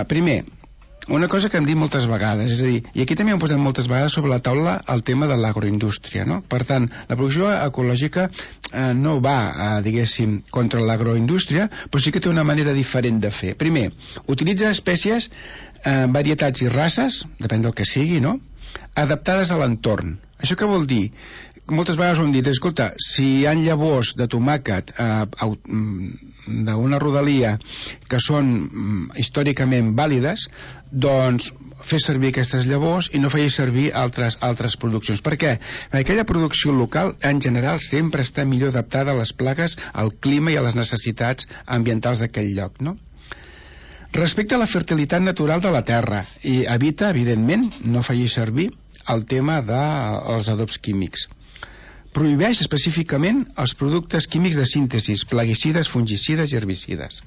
Speaker 8: Primer, una cosa que hem dit moltes vegades, és a dir, i aquí també hem posat moltes vegades sobre la taula el tema de l'agroindústria, no? Per tant, la producció ecològica no va, diguéssim, contra l'agroindústria, però sí que té una manera diferent de fer. Primer, utilitza espècies, varietats i races, depèn del que sigui, no?, adaptades a l'entorn. Això què vol dir? Moltes vegades ho hem dit, escolta, si hi ha llavors de tomàquet d'una rodalia que són històricament vàlides, doncs fer servir aquestes llavors i no feia servir altres produccions. Per què? Perquè aquella producció local en general sempre està millor adaptada a les plagues, al clima i a les necessitats ambientals d'aquell lloc, no? Respecte a la fertilitat natural de la terra, i evita, evidentment, no feia servir el tema dels adobs químics. Prohibeix específicament els productes químics de síntesi, plaguicides, fungicides i herbicides.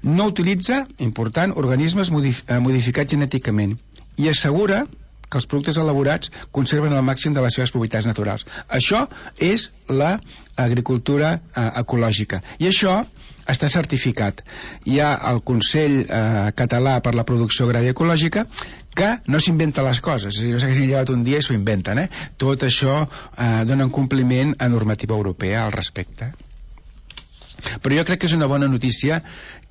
Speaker 8: No utilitza, important, organismes modificats genèticament i assegura que els productes elaborats conserven al màxim de les seves propietats naturals. Això és l'agricultura ecològica i això està certificat. Hi ha el Consell Català per la Producció Agrària Ecològica que no s'inventa les coses, no sé que s'han llevat un dia i s'ho inventen, Tot això dona un compliment a normativa europea al respecte. Però jo crec que és una bona notícia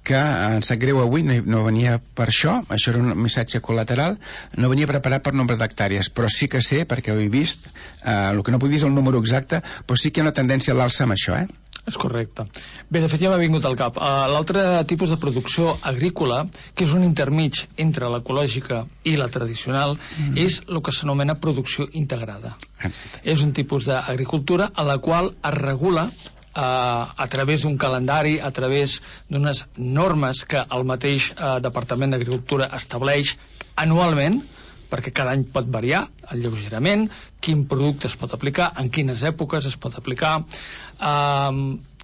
Speaker 8: que em sap greu avui, no venia per això era un missatge col·lateral, no venia preparat per nombre d'hectàrees, però sí que sé, perquè ho he vist, el que no puc dir és el número exacte, però sí que hi ha una tendència a l'alça amb això,
Speaker 7: És correcte. Bé, de fet ja m'ha vingut al cap. L'altre tipus de producció agrícola, que és un intermig entre l'ecològica i la tradicional, és el que s'anomena producció integrada. És un tipus d'agricultura a la qual es regula a través d'un calendari, a través d'unes normes que el mateix Departament d'Agricultura estableix anualment, perquè cada any pot variar lleugerament quin producte es pot aplicar, en quines èpoques es pot aplicar,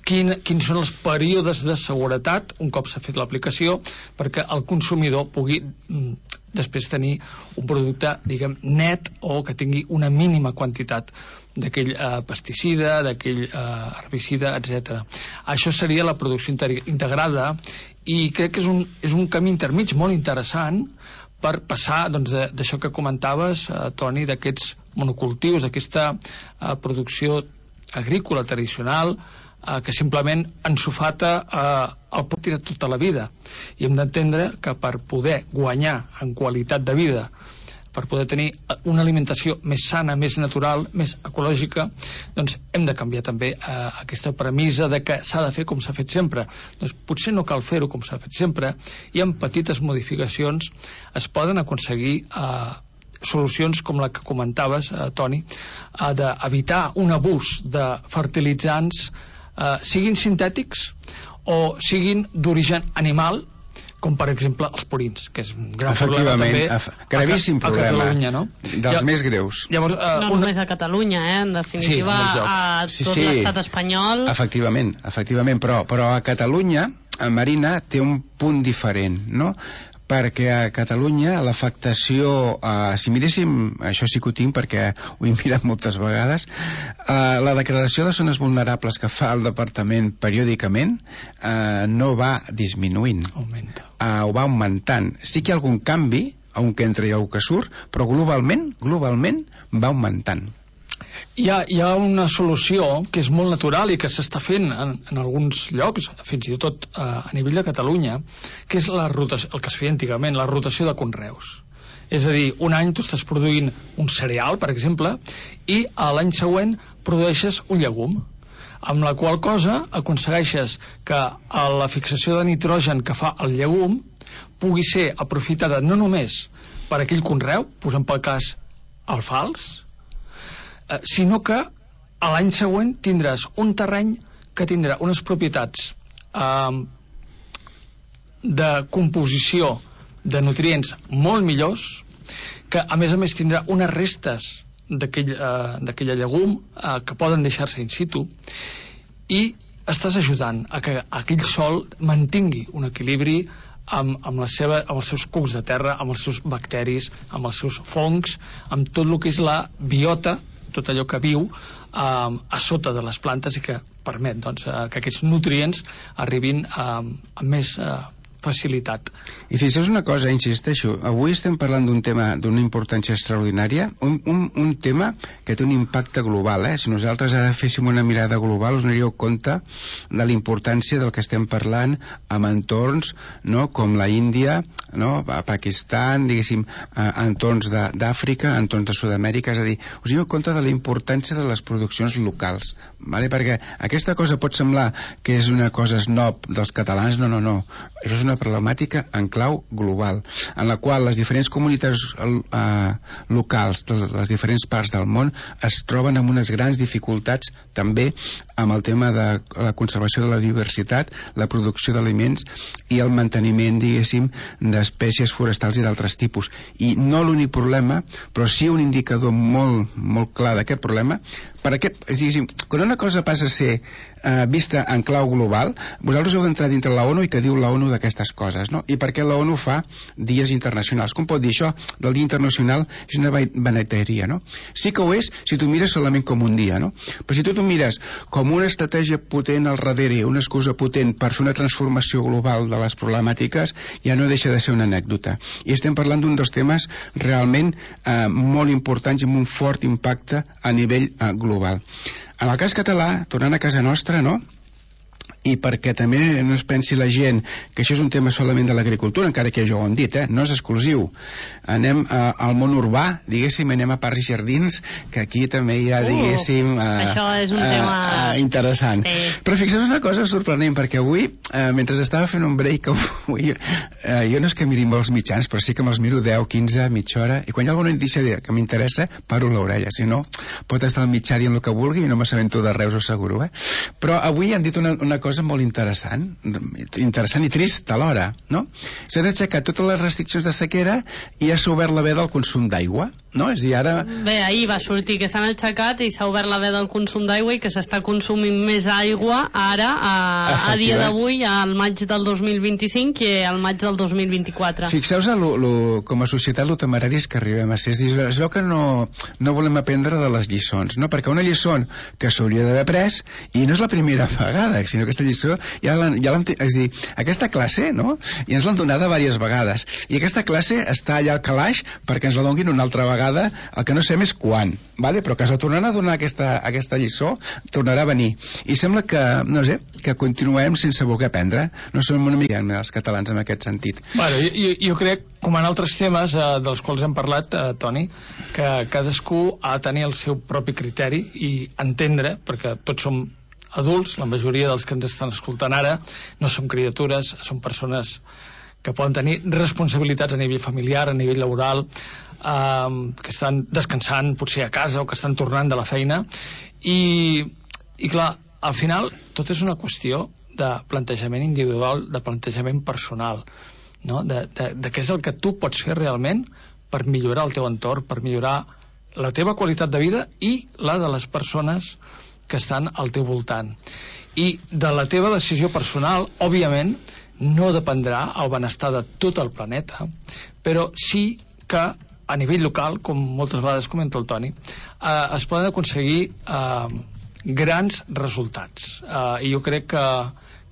Speaker 7: quins són els períodes de seguretat un cop s'ha fet l'aplicació, perquè el consumidor pugui després tenir un producte, diguem, net o que tingui una mínima quantitat d'aquell pesticida, d'aquell herbicida, etc. Això seria la producció integrada i crec que és un camí intermig molt interessant per passar d'això que comentaves, Toni, d'aquests monocultius, d'aquesta producció agrícola tradicional que simplement ensofata el pot tirar tota la vida. I hem d'entendre que per poder guanyar en qualitat de vida, per poder tenir una alimentació més sana, més natural, més ecològica, doncs hem de canviar també aquesta premissa de que s'ha de fer com s'ha fet sempre. Doncs potser no cal fer-ho com s'ha fet sempre i amb petites modificacions es poden aconseguir solucions com la que comentaves, Toni, d'evitar un abús de fertilitzants, siguin sintètics o siguin d'origen animal, com per exemple els purins, que és un gran problema també
Speaker 8: gravíssim problema,
Speaker 7: a Catalunya, no?
Speaker 8: Dels més greus.
Speaker 6: Llavors, no només a Catalunya, en definitiva a tot l'estat espanyol.
Speaker 8: Efectivament, però a Catalunya Marina té un punt diferent, no? Perquè a Catalunya l'afectació, si miréssim, això sí que ho tinc perquè ho he mirat moltes vegades, la declaració de zones vulnerables que fa el departament periòdicament no va disminuint, ho va augmentant. Sí que hi ha algun canvi, un que entra i un que surt, però globalment va augmentant.
Speaker 7: Hi ha una solució que és molt natural i que s'està fent en alguns llocs, fins i tot a nivell de Catalunya, que és la rotació, el que es feia antigament, la rotació de conreus. És a dir, un any tu estàs produint un cereal, per exemple, i l'any següent produeixes un llegum, amb la qual cosa aconsegueixes que la fixació de nitrogen que fa el llegum pugui ser aprofitada no només per aquell conreu, posem pel cas alfals, sinó que a l'any següent tindràs un terreny que tindrà unes propietats de composició de nutrients molt millors, que a més tindrà unes restes d'aquella llegum que poden deixar-se in situ, i estàs ajudant a que aquell sòl mantingui un equilibri amb els seus cucs de terra, amb els seus bacteris, amb els seus fongs, amb tot el que és la biota, tot allò que viu a sota de les plantes i que permet que aquests nutrients arribin amb més facilitat.
Speaker 8: I fixeu una cosa, insisteixo, avui estem parlant d'un tema d'una importància extraordinària, un tema que té un impacte global. Si nosaltres ara féssim una mirada global us donaríeu compte de la importància del que estem parlant amb entorns, no, com la Índia, no, a Pakistan, diguéssim, entorns d'Àfrica, entorns de Sud-amèrica, és a dir, us doneu compte de la importància de les produccions locals, vale? Perquè aquesta cosa pot semblar que és una cosa snob dels catalans, no, això és una problemàtica en clau global, en la qual les diferents comunitats locals de les diferents parts del món es troben amb unes grans dificultats també amb el tema de la conservació de la diversitat, la producció d'aliments i el manteniment, diguéssim, d'espècies forestals i d'altres tipus. I no l'únic problema, però sí un indicador molt, molt clar d'aquest problema, perquè, diguéssim, quan una cosa passa a ser vista en clau global, vosaltres heu d'entrar dintre la ONU i que diu la ONU d'aquestes coses, no? I per què la ONU fa dies internacionals? Com pot dir això? Del dia internacional és una vaneteria, no? Sí que ho és si tu mires solament com un dia, no? Però si tu t'ho mires com una estratègia potent al darrere, una excusa potent per fer una transformació global de les problemàtiques, ja no deixa de ser una anècdota. I estem parlant d'un dels temes realment molt importants i amb un fort impacte a nivell global. En el cas català, tornant a casa nostra, no?, i perquè també no es pensi la gent que això és un tema solament de l'agricultura, encara que ja ho hem dit, no és exclusiu. Anem al món urbà, diguéssim, anem a parcs i jardins, que aquí també hi ha, diguéssim,
Speaker 6: això és un tema
Speaker 8: interessant.
Speaker 6: Sí.
Speaker 8: Però fixeu una cosa sorprenent, perquè avui, mentre estava fent un break, avui, jo no és que miri molts mitjans, però sí que me'ls miro 10, 15, mitja hora, i quan hi ha alguna notícia que m'interessa, paro l'orella, si no, pot estar al mitjà dient el que vulgui i no m'assabento de res, ho asseguro, Però avui han dit una cosa molt interessant i trist alhora, no? S'han aixecat totes les restriccions de sequera i s'ha obert la veda al consum d'aigua, no? És a dir, ara...
Speaker 6: Bé, ahir va sortir que s'han aixecat i s'ha obert la veda al consum d'aigua i que s'està consumint més aigua ara, a dia d'avui, al maig del 2025 que al maig del 2024.
Speaker 8: Fixeu-vos com a societat lo temeraris que arribem a ser. Es veu que no volem aprendre de les lliçons, no? Perquè una lliçó que s'hauria d'haver pres, i no és la primera vegada, sinó que aquesta lliçó ja l'hem... És a dir, aquesta classe, no?, ja ens l'han donada diverses vegades, i aquesta classe està allà al calaix perquè ens la donin una altra vegada, el que no sabem és quan, vale? Però que ens la tornaran a donar aquesta lliçó, tornarà a venir, i sembla que, no sé, que continuem sense voler aprendre. No som una mica els catalans en aquest sentit.
Speaker 7: Bueno, jo crec, com en altres temes dels quals hem parlat, Toni, que cadascú ha de tenir el seu propi criteri i entendre, perquè tots som adults, la majoria dels que ens estan escoltant ara no són criatures, són persones que poden tenir responsabilitats a nivell familiar, a nivell laboral, que estan descansant potser a casa o que estan tornant de la feina, i clar, al final tot és una qüestió de plantejament individual, de plantejament personal, no? de què és el que tu pots fer realment per millorar el teu entorn, per millorar la teva qualitat de vida i la de les persones que estan al teu voltant. I de la teva decisió personal, òbviament, no dependrà el benestar de tot el planeta, però sí que a nivell local, com moltes vegades comenta el Toni, es poden aconseguir grans resultats. I jo crec que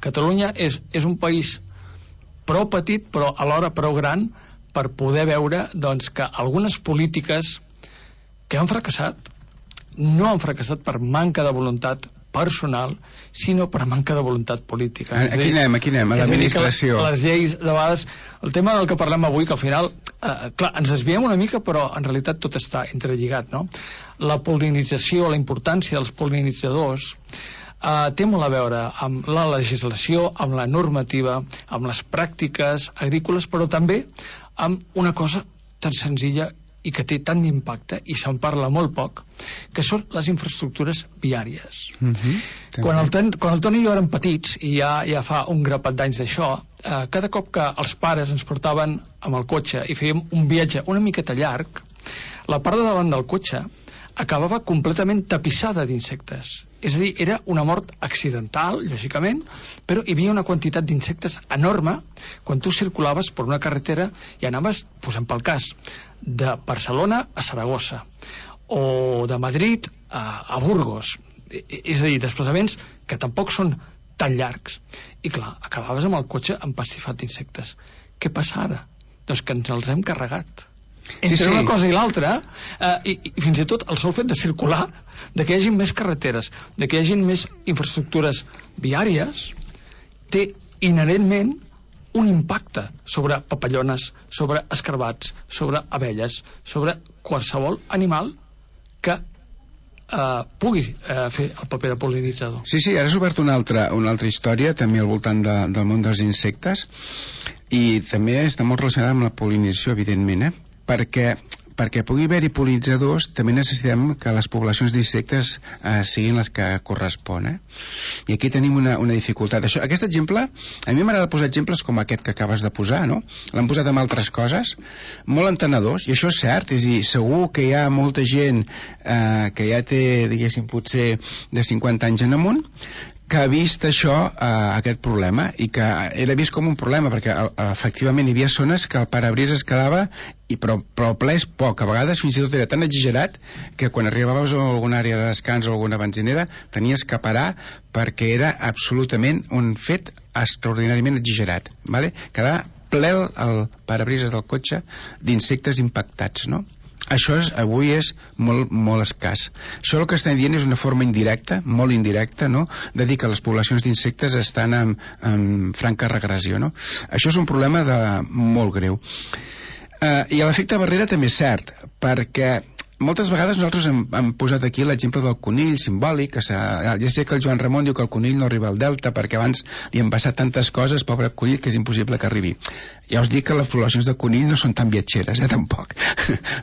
Speaker 7: Catalunya és un país prou petit, però alhora prou gran per poder veure doncs, que algunes polítiques que han fracassat no han fracassat per manca de voluntat personal, sinó per manca de voluntat política.
Speaker 8: Aquí anem, a l'administració.
Speaker 7: Les lleis, de vegades, el tema del que parlem avui, que al final, clar, ens desviem una mica, però en realitat tot està entrelligat, no? La pol·linització, la importància dels pol·linitzadors, té molt a veure amb la legislació, amb la normativa, amb les pràctiques agrícoles, però també amb una cosa tan senzilla i que té tant d'impacte, i se'n parla molt poc, que són les infraestructures viàries. Quan el Toni i jo érem petits, i ja fa un grapat d'anys d'això, cada cop que els pares ens portaven amb el cotxe i fèiem un viatge una miqueta llarg, la part de davant del cotxe acabava completament tapissada d'insectes. És a dir, era una mort accidental, lògicament, però hi havia una quantitat d'insectes enorme quan tu circulaves per una carretera i anaves, posant pel cas, de Barcelona a Saragossa, o de Madrid a Burgos. És a dir, desplaçaments que tampoc són tan llargs. I clar, acabaves amb el cotxe empastifat d'insectes. Què passa ara? Doncs que ens els hem carregat. Entre una cosa i l'altra, i fins i tot el sol fet de circular, de que hi hagi més carreteres, de que hi hagi més infraestructures viàries, té inherentment un impacte sobre papallones, sobre escarbats, sobre abelles, sobre qualsevol animal que pugui fer el paper de pol·linitzador.
Speaker 8: Sí, ara has obert una altra història també al voltant del món dels insectes, i també està molt relacionada amb la pol·linització, evidentment, perquè pugui haver-hi pol·linitzadors també necessitem que les poblacions d'insectes siguin les que correspon. I aquí tenim una dificultat. Aquest exemple, a mi m'agrada posar exemples com aquest que acabes de posar, no? L'han posat amb altres coses molt entenedors, i això és cert, és a dir, segur que hi ha molta gent que ja té, diguéssim, potser de 50 anys en amunt, que ha vist això, aquest problema, i que era vist com un problema, perquè efectivament hi havia zones que el parabrisa es quedava, però el ple és poc, a vegades fins i tot era tan exagerat que quan arribaves a alguna àrea de descans o alguna benzinera tenies que parar perquè era absolutament un fet extraordinàriament exagerat, vale? Quedava ple el parabrises del cotxe d'insectes impactats, no? Això avui és molt, molt escàs. Això el que estem dient és una forma indirecta, molt indirecta, no?, de dir que les poblacions d'insectes estan en franca regressió, no? Això és un problema molt greu. I l'efecte barrera també és cert, perquè moltes vegades nosaltres hem posat aquí l'exemple del conill simbòlic, que ja sé que el Joan Ramon diu que el conill no arriba al delta perquè abans li han passat tantes coses, pobre conill, que és impossible que arribi. Ja us dic que les poblacions de conill no són tan viatgeres, tampoc.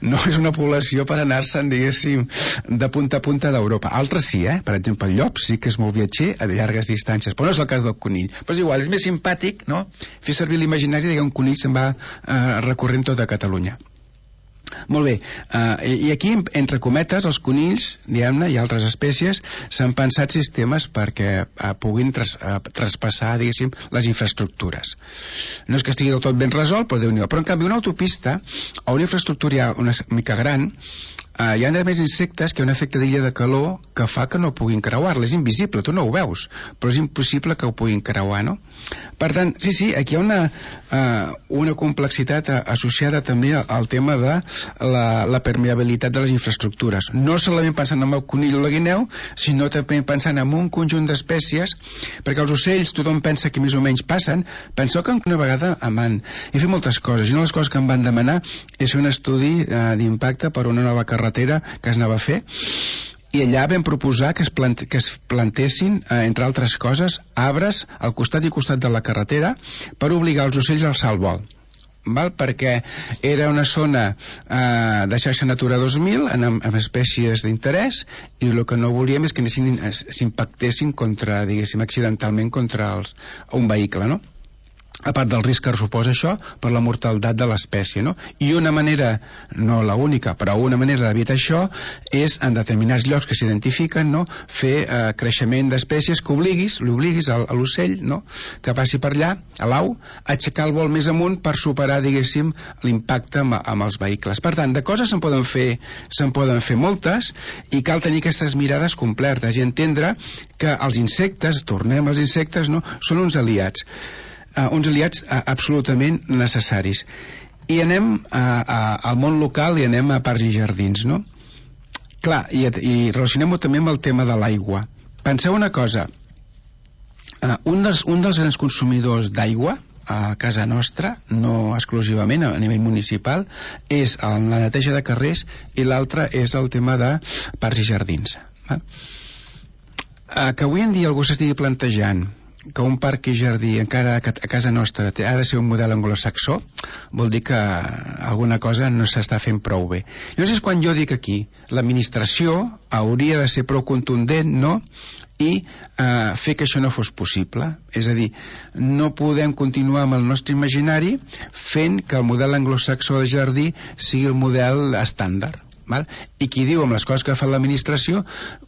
Speaker 8: No és una població per anar-se'n, diguéssim, de punta a punta d'Europa. Altres sí, per exemple, el llop sí que és molt viatger a llargues distàncies, però no és el cas del conill. Però és igual, és més simpàtic, no?, fer servir l'imaginari de que un conill se'n va recorrent tota Catalunya. Molt bé, i aquí entre cometes els conills, diguem-ne, i altres espècies s'han pensat sistemes perquè puguin traspassar, diguéssim, les infraestructures. No és que estigui del tot ben resolt, però Déu-n'hi-do. Però en canvi una autopista o una infraestructura una mica gran, hi ha més insectes que un efecte d'illa de calor que fa que no puguin creuar-la. És invisible, tu no ho veus, però és impossible que ho puguin creuar, no? Per tant, sí, aquí hi ha una complexitat associada també al tema de la permeabilitat de les infraestructures. No solament pensant en el conill o la guineu, sinó també pensant en un conjunt d'espècies, perquè els ocells tothom pensa que més o menys passen. Penseu que una vegada he fet moltes coses, i una de les coses que em van demanar és fer un estudi d'impacte per una nova carretera que es anava a fer, i allà vam proposar que es plantessin, entre altres coses, arbres al costat i costat de la carretera per obligar els ocells a alçar el vol. Perquè era una zona de xarxa Natura 2000 amb espècies d'interès, i el que no volíem és que s'impactessin contra, diguéssim, accidentalment contra un vehicle, no? a part del risc que suposa això per la mortalitat de l'espècie, no? I una manera, no la única, però una manera d'evitar això és en determinats llocs que s'identifiquen, no? Fer creixement d'espècies que l'obliguis a l'ocell, no? Que passi per allà, a l'au, aixecar el vol més amunt per superar, diguéssim, l'impacte amb els vehicles. Per tant, de coses se'n poden fer moltes, i cal tenir aquestes mirades completes i entendre que els insectes, tornem als insectes, no? Són uns aliats absolutament necessaris. I anem al món local i anem a parcs i jardins, no? Clar, i relacionem-ho també amb el tema de l'aigua. Penseu una cosa, un dels grans consumidors d'aigua a casa nostra, no exclusivament a nivell municipal, és la neteja de carrers, i l'altre és el tema de parcs i jardins. Que avui en dia algú s'estigui plantejant que un parc i jardí encara a casa nostra ha de ser un model anglosaxó, vol dir que alguna cosa no s'està fent prou bé. Llavors és quan jo dic aquí, l'administració hauria de ser prou contundent, no?, i fer que això no fos possible. És a dir, no podem continuar amb el nostre imaginari fent que el model anglosaxó de jardí sigui el model estàndard. Val? I qui diu amb les coses que fa l'administració,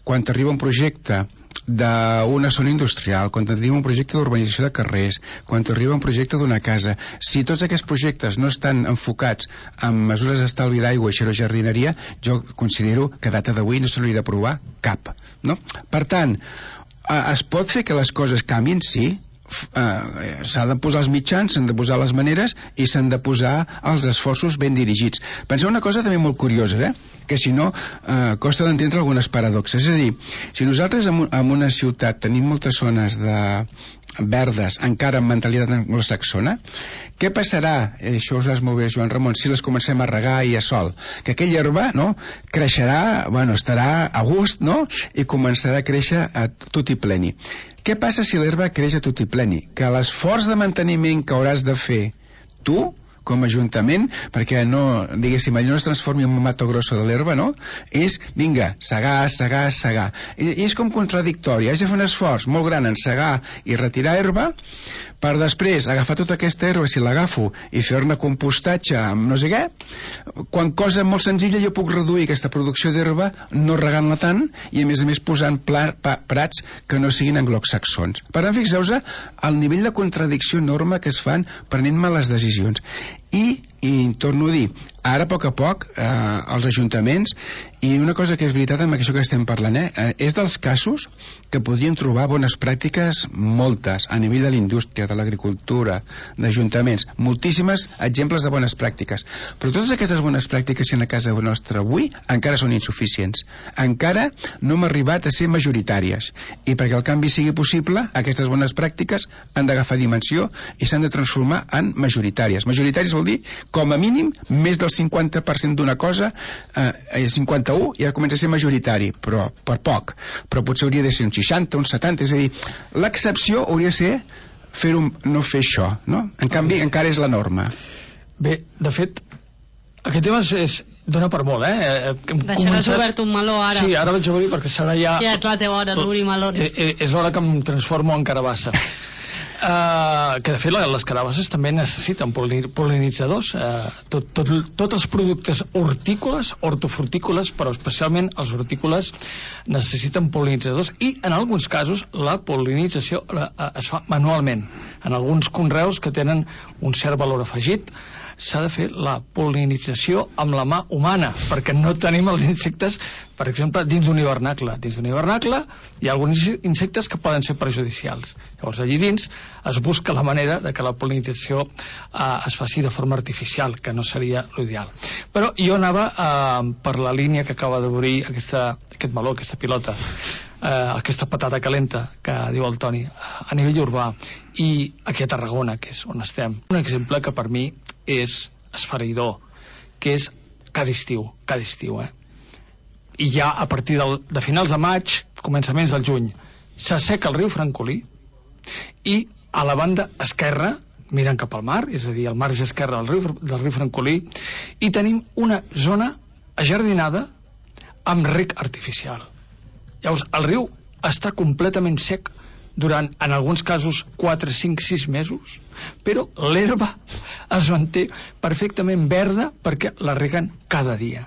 Speaker 8: quan t'arriba un projecte d'una zona industrial, quan t'arriba un projecte d'urbanització de carrers, quan t'arriba un projecte d'una casa, si tots aquests projectes no estan enfocats en mesures d'estalvi d'aigua i xerojardineria, jo considero que a data d'avui no se n'hauria d'aprovar cap, no? Per tant, es pot fer que les coses canvien? Sí. S'ha de posar els mitjans, s'han de posar les maneres i s'han de posar els esforços ben dirigits. Penseu una cosa també molt curiosa, que si no costa d'entendre algunes paradoxes. És a dir, si nosaltres en una ciutat tenim moltes zones verdes encara amb mentalitat anglosaxona, què passarà, això ho saps molt bé, Joan Ramon, si les comencem a regar i a sol? Que aquella herba, no?, creixerà, estarà a gust, no?, i començarà a créixer a tot i pleni. Què passa si l'herba creix a tot i pleni? Que l'esforç de manteniment que hauràs de fer tu, com a ajuntament, perquè no, diguéssim, allò no es transformi en un Mato Grosso de l'herba, no? És, vinga, segar. I és com contradictori, has de fer un esforç molt gran en segar i retirar herba, per després agafar tota aquesta herba, si l'agafo, i fer-ne compostatge amb no sé què, quan cosa molt senzilla jo puc reduir aquesta producció d'herba no regant-la tant i a més posant prats que no siguin anglosaxons. Per tant, fixeu-vos el nivell de contradicció enorme que es fan prenent males decisions. I torno a dir, ara a poc els ajuntaments, i una cosa que és veritat amb això que estem parlant, és dels casos que podrien trobar bones pràctiques moltes, a nivell de la indústria, de l'agricultura, d'ajuntaments, moltíssimes exemples de bones pràctiques, però totes aquestes bones pràctiques que en a casa nostra avui encara són insuficients, encara no hem arribat a ser majoritàries, i perquè el canvi sigui possible, aquestes bones pràctiques han d'agafar dimensió i s'han de transformar en majoritàries. Majoritàries vol dir, com a mínim, més del 50% d'una cosa, 51, ja comença a ser majoritari, però per poc. Però potser hauria de ser un 60, un 70, és a dir, l'excepció hauria de ser no fer això, no? En canvi, encara és la norma.
Speaker 7: Bé, de fet, aquest tema dona per molt,
Speaker 6: Deixaràs obert un meló ara.
Speaker 7: Sí, ara vaig a obrir perquè serà ja...
Speaker 6: Ja és la teva hora d'obrir melons.
Speaker 7: És l'hora que em transformo en carabassa. Que de fet les carabasses també necessiten pol·linitzadors, tots els productes hortícoles, hortofrutícoles, però especialment els hortícoles necessiten pol·linitzadors, i en alguns casos la pol·linització es fa manualment. En alguns conreus que tenen un cert valor afegit s'ha de fer la pol·linització amb la mà humana, perquè no tenim els insectes, per exemple, dins d'un hivernacle. Dins d'un hivernacle hi ha alguns insectes que poden ser perjudicials. Llavors, allí dins es busca la manera de que la pol·linització es faci de forma artificial, que no seria l'ideal. Però jo anava per la línia que acaba d'obrir aquest meló, aquesta pilota, aquesta patata calenta que diu el Toni, a nivell urbà, i aquí a Tarragona, que és on estem. Un exemple que per mi és esfereïdor, que és cada estiu, i ja a partir de finals de maig, començaments del juny, s'asseca el riu Francolí, i a la banda esquerra, mirant cap al mar, és a dir, al marge esquerre del riu Francolí, i tenim una zona ajardinada amb rec artificial. Llavors, el riu està completament sec durant, en alguns casos, 4, 5, 6 mesos, però l'herba es manté perfectament verda perquè la reguen cada dia.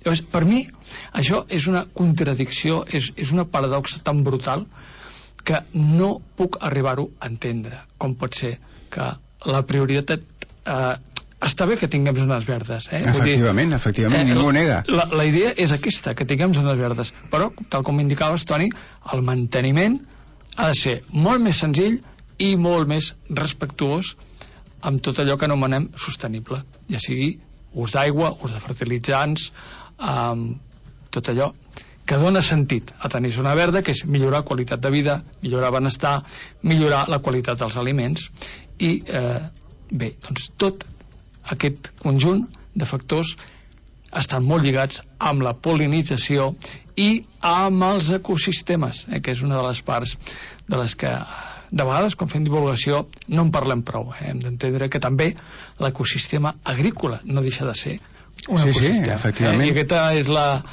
Speaker 7: Llavors, per mi, això és una contradicció, és una paradoxa tan brutal que no puc arribar-ho a entendre. Com pot ser que la prioritat... està bé que tinguem zones verdes,
Speaker 8: Efectivament, ningú ho nega.
Speaker 7: La idea és aquesta, que tinguem zones verdes, però, tal com indicaves, Toni, el manteniment ha de ser molt més senzill i molt més respectuós amb tot allò que anomenem sostenible, ja sigui ús d'aigua, ús de fertilitzants, tot allò que dona sentit a tenir zona verda, que és millorar qualitat de vida, millorar benestar, millorar la qualitat dels aliments, i bé, doncs tot aquest conjunt de factors estan molt lligats amb la pol·linització i amb els ecosistemes, que és una de les parts de les que de vegades quan fem divulgació no en parlem prou. Hem d'entendre que també l'ecosistema agrícola no deixa de ser un ecosistema.
Speaker 8: Sí, efectivament.
Speaker 7: I aquesta és la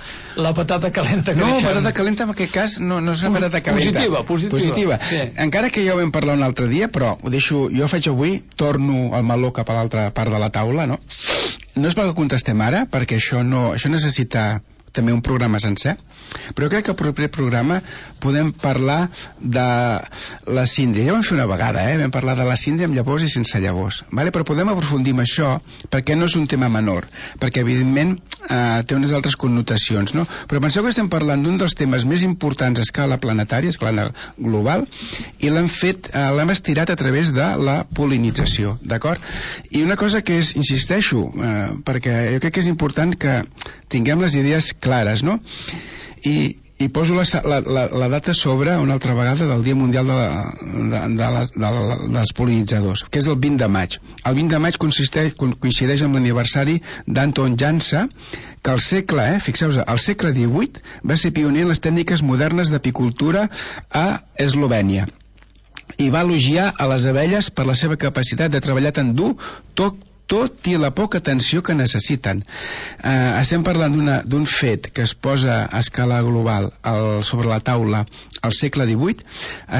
Speaker 7: patata calenta que deixem.
Speaker 8: Patata calenta en aquest cas no és una patata calenta. Positiva. Sí. Encara que ja ho vam parlar un altre dia, però ho deixo, jo faig avui, torno el meló cap a l'altra part de la taula, no? No és perquè contestem ara, perquè això necessita també un programa sencer, però jo crec que al proper programa podem parlar de la síndria. Ja vam fer una vegada, vam parlar de la síndria amb llavors i sense llavors, vale? Però podem aprofundir en això perquè no és un tema menor, perquè evidentment té unes altres connotacions, no? Però penseu que estem parlant d'un dels temes més importants a escala planetària, a escala global, i l'hem estirat a través de la pol·linització, d'acord? I una cosa que és, insisteixo, perquè jo crec que és important que tinguem les idees clares, no? I poso la data sobre, una altra vegada, del Dia Mundial dels Pol·linitzadors, que és el 20 de maig. El 20 de maig coincideix amb l'aniversari d'Anton Jansa, que al segle, fixeu-vos, al segle XVIII va ser pioner en les tècniques modernes d'apicultura a Eslovènia i va elogiar a les abelles per la seva capacitat de treballar tan dur, tot i la poca atenció que necessiten. Estem parlant d'un fet que es posa a escala global sobre la taula al segle XVIII.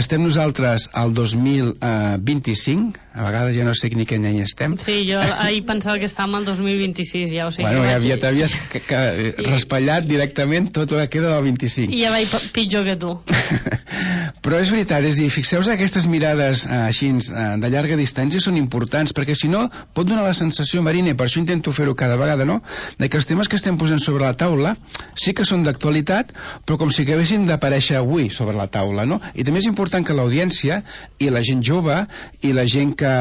Speaker 8: Estem nosaltres al 2025, a vegades ja no sé ni quin any estem.
Speaker 6: Sí, jo ahir pensava que estàvem al 2026, ja ho sé.
Speaker 8: Bueno, ja t'havies raspallat directament tot el que queda del 25.
Speaker 6: I ja vaig pitjor que tu.
Speaker 8: Però és veritat, és a dir, fixeu-vos que aquestes mirades així de llarga distància són importants, perquè si no pot donar la sensació, Marina, i per això intento fer-ho cada vegada, no?, de que els temes que estem posant sobre la taula sí que són d'actualitat, però com si acabessin d'aparèixer avui sobre la taula, no? I també és important que l'audiència i la gent jove i la gent que,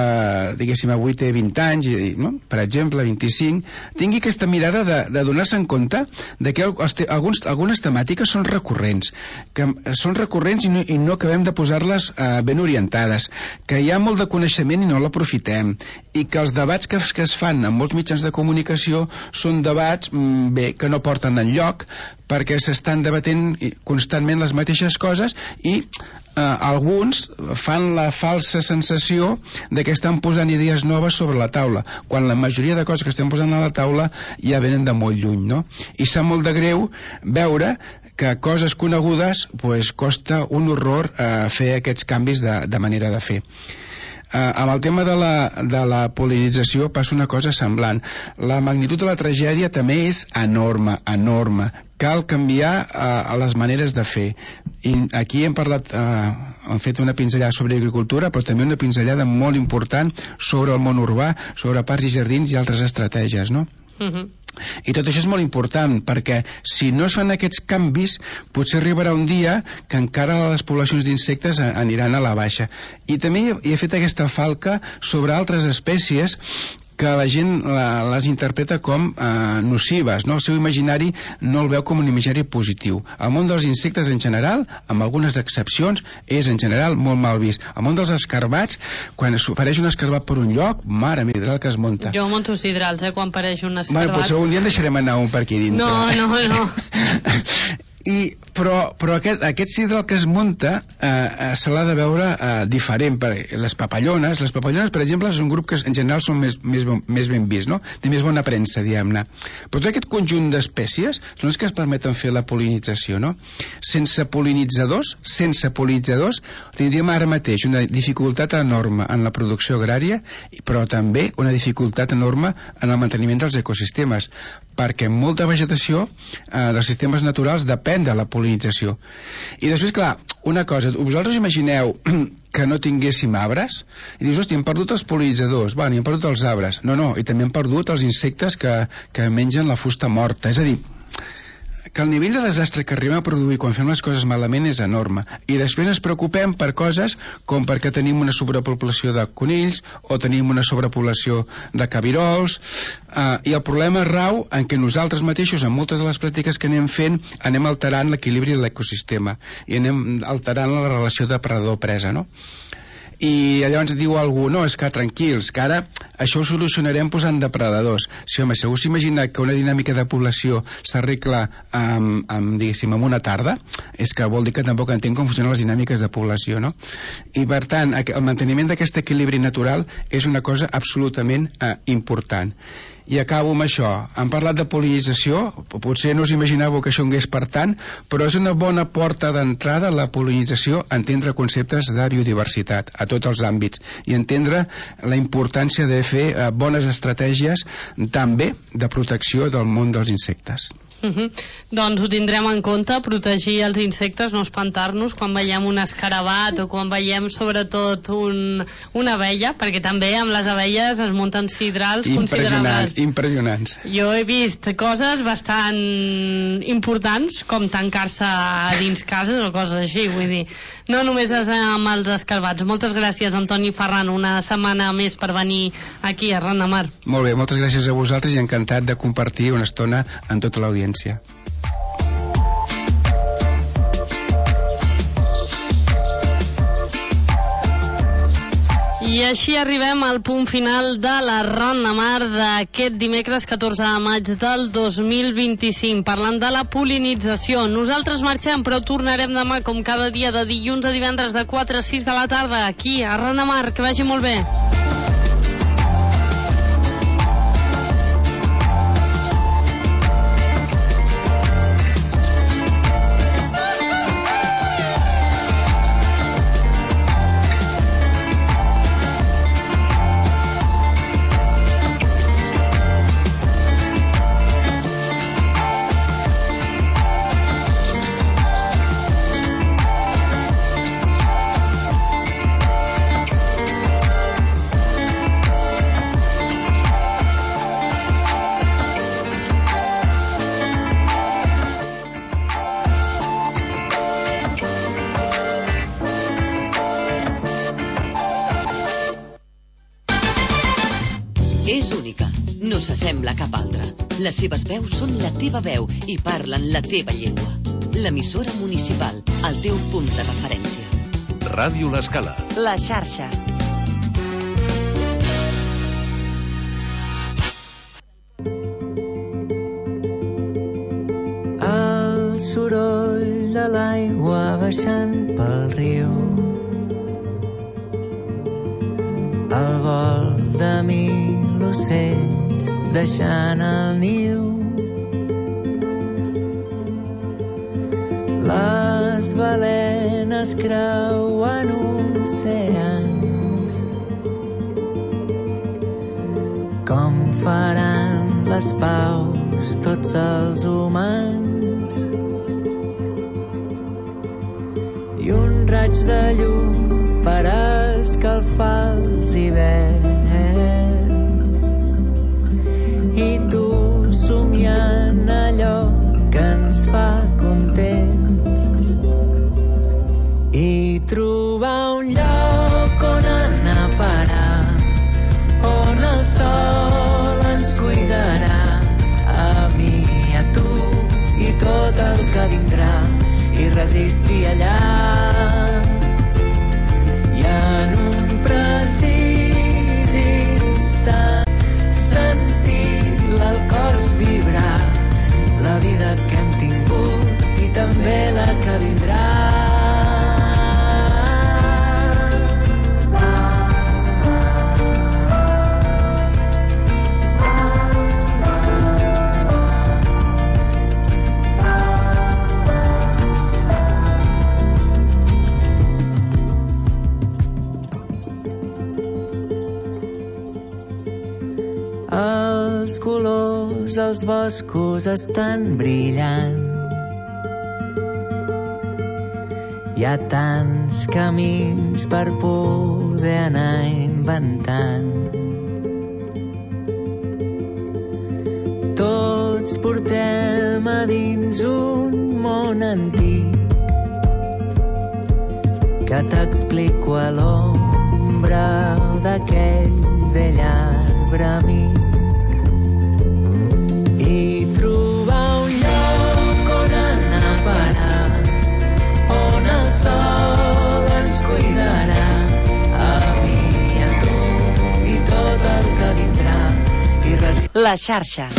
Speaker 8: diguéssim, avui té 20 anys, no?, per exemple, 25, tingui aquesta mirada de donar-se en compte de que algunes temàtiques són recurrents, i no acabem de posar-les ben orientades, que hi ha molt de coneixement i no l'aprofitem, i que els debats que es fan en molts mitjans de comunicació són debats que no porten enlloc, perquè s'estan debatent constantment les mateixes coses i alguns fan la falsa sensació de que estan posant idees noves sobre la taula, quan la majoria de coses que estem posant a la taula ja venen de molt lluny, no? I sap molt de greu veure que coses conegudes costa un horror fer aquests canvis de manera de fer. Amb el tema de la pol·linització passa una cosa semblant. La magnitud de la tragèdia també és enorme. Cal canviar les maneres de fer. I aquí hem fet una pinzellada sobre agricultura, però també una pinzellada molt important sobre el món urbà, sobre parcs i jardins i altres estratègies, no? I tot això és molt important, perquè si no es fan aquests canvis potser arribarà un dia que encara les poblacions d'insectes aniran a la baixa. I també he fet aquesta falca sobre altres espècies que la gent les interpreta com nocives, no? El seu imaginari no el veu com un imaginari positiu. El món dels insectes en general, amb algunes excepcions, és en general molt mal vist. El món dels escarbats, quan apareix un escarbat per un lloc, mare meva, el que es munta.
Speaker 6: Jo monto sidrals, quan apareix un escarbat.
Speaker 8: Bueno, potser un dia en deixarem anar un per aquí dintre.
Speaker 6: No.
Speaker 8: Però aquest sidral que es munta se l'ha de veure diferent. Les papallones, per exemple, és un grup que en general són més ben vist, no? Té més bona premsa, diguem-ne. Però tot aquest conjunt d'espècies són els que es permeten fer la pol·linització, no? Sense pol·linitzadors, tindríem ara mateix una dificultat enorme en la producció agrària, però també una dificultat enorme en el manteniment dels ecosistemes, perquè molta vegetació dels sistemes naturals depèn de la pol·linització. I després, clar, una cosa, vosaltres imagineu que no tinguéssim arbres i dius, hòstia, hem perdut els pol·linitzadors, i hem perdut els arbres. No, i també hem perdut els insectes que mengen la fusta morta. És a dir, que el nivell de desastre que arribem a produir quan fem les coses malament és enorme, i després ens preocupem per coses com perquè tenim una sobrepoblació de conills o tenim una sobrepoblació de cabirols, i el problema rau en què nosaltres mateixos, en moltes de les pràctiques que anem fent, anem alterant l'equilibri de l'ecosistema i anem alterant la relació depredador-presa, no? I llavors diu algú, no, és que tranquils, que ara això ho solucionarem posant depredadors. Sí, home, si algú s'imagina que una dinàmica de població s'arregla diguéssim, en una tarda, és que vol dir que tampoc entenc com funcionen les dinàmiques de població, no? I per tant, el manteniment d'aquest equilibri natural és una cosa absolutament important. I acabo amb això. Han parlat de pol·linització, potser no us imaginàveu que això anés per tant, però és una bona porta d'entrada a la pol·linització, entendre conceptes de biodiversitat a tots els àmbits i entendre la importància de fer bones estratègies també de protecció del món dels insectes.
Speaker 6: Doncs ho tindrem en compte, protegir els insectes, no espantar-nos quan veiem un escarabat o quan veiem sobretot una abella, perquè també amb les abelles es munten sidrals considerables.
Speaker 8: Impressionants.
Speaker 6: Jo he vist coses bastant importants, com tancar-se dins cases o coses així, vull dir, no només amb els escarabats. Moltes gràcies, Antoni Ferran, una setmana més per venir aquí a Ran de Mar.
Speaker 8: Molt bé, moltes gràcies a vosaltres i encantat de compartir una estona amb tota l'audiència.
Speaker 6: I així arribem al punt final de la Ran de Mar d'aquest dimecres 14 de maig del 2025, parlant de la pol·linització. Nosaltres marxem, però tornarem demà, com cada dia, de dilluns a divendres, de 4 a 6 de la tarda, aquí a Ran de Mar. Que vagi molt bé.
Speaker 3: És única, no s'assembla a cap altra. Les seves veus són la teva veu i parlen la teva llengua. L'emissora municipal, el teu punt de referència.
Speaker 2: Ràdio L'Escala.
Speaker 1: La xarxa.
Speaker 9: El soroll de l'aigua baixant pel riu, el vol de mil ocells deixant el niu, les balenes creuen oceans, com faran les paus tots els humans, i un raig de llum per escalfar els hiverns, i tu somiant allò que ens fa contents, i trobar un lloc on anar a parar, on el sol ens cuidarà, a mi i a tu i tot el que vindrà, i resistir allà. I en un precís instant sentir el cos vibrar, la vida que hem tingut i també Els colors, els boscos estan brillant. Hi ha tants camins per poder anar inventant. Tots portem a dins un món antic que t'explico a l'ombra d'aquell vell arbre amic. I trobar un lloc on anar a parar, on el sol ens cuidarà, a mi i a tu i tot el que vindrà.
Speaker 3: La xarxa.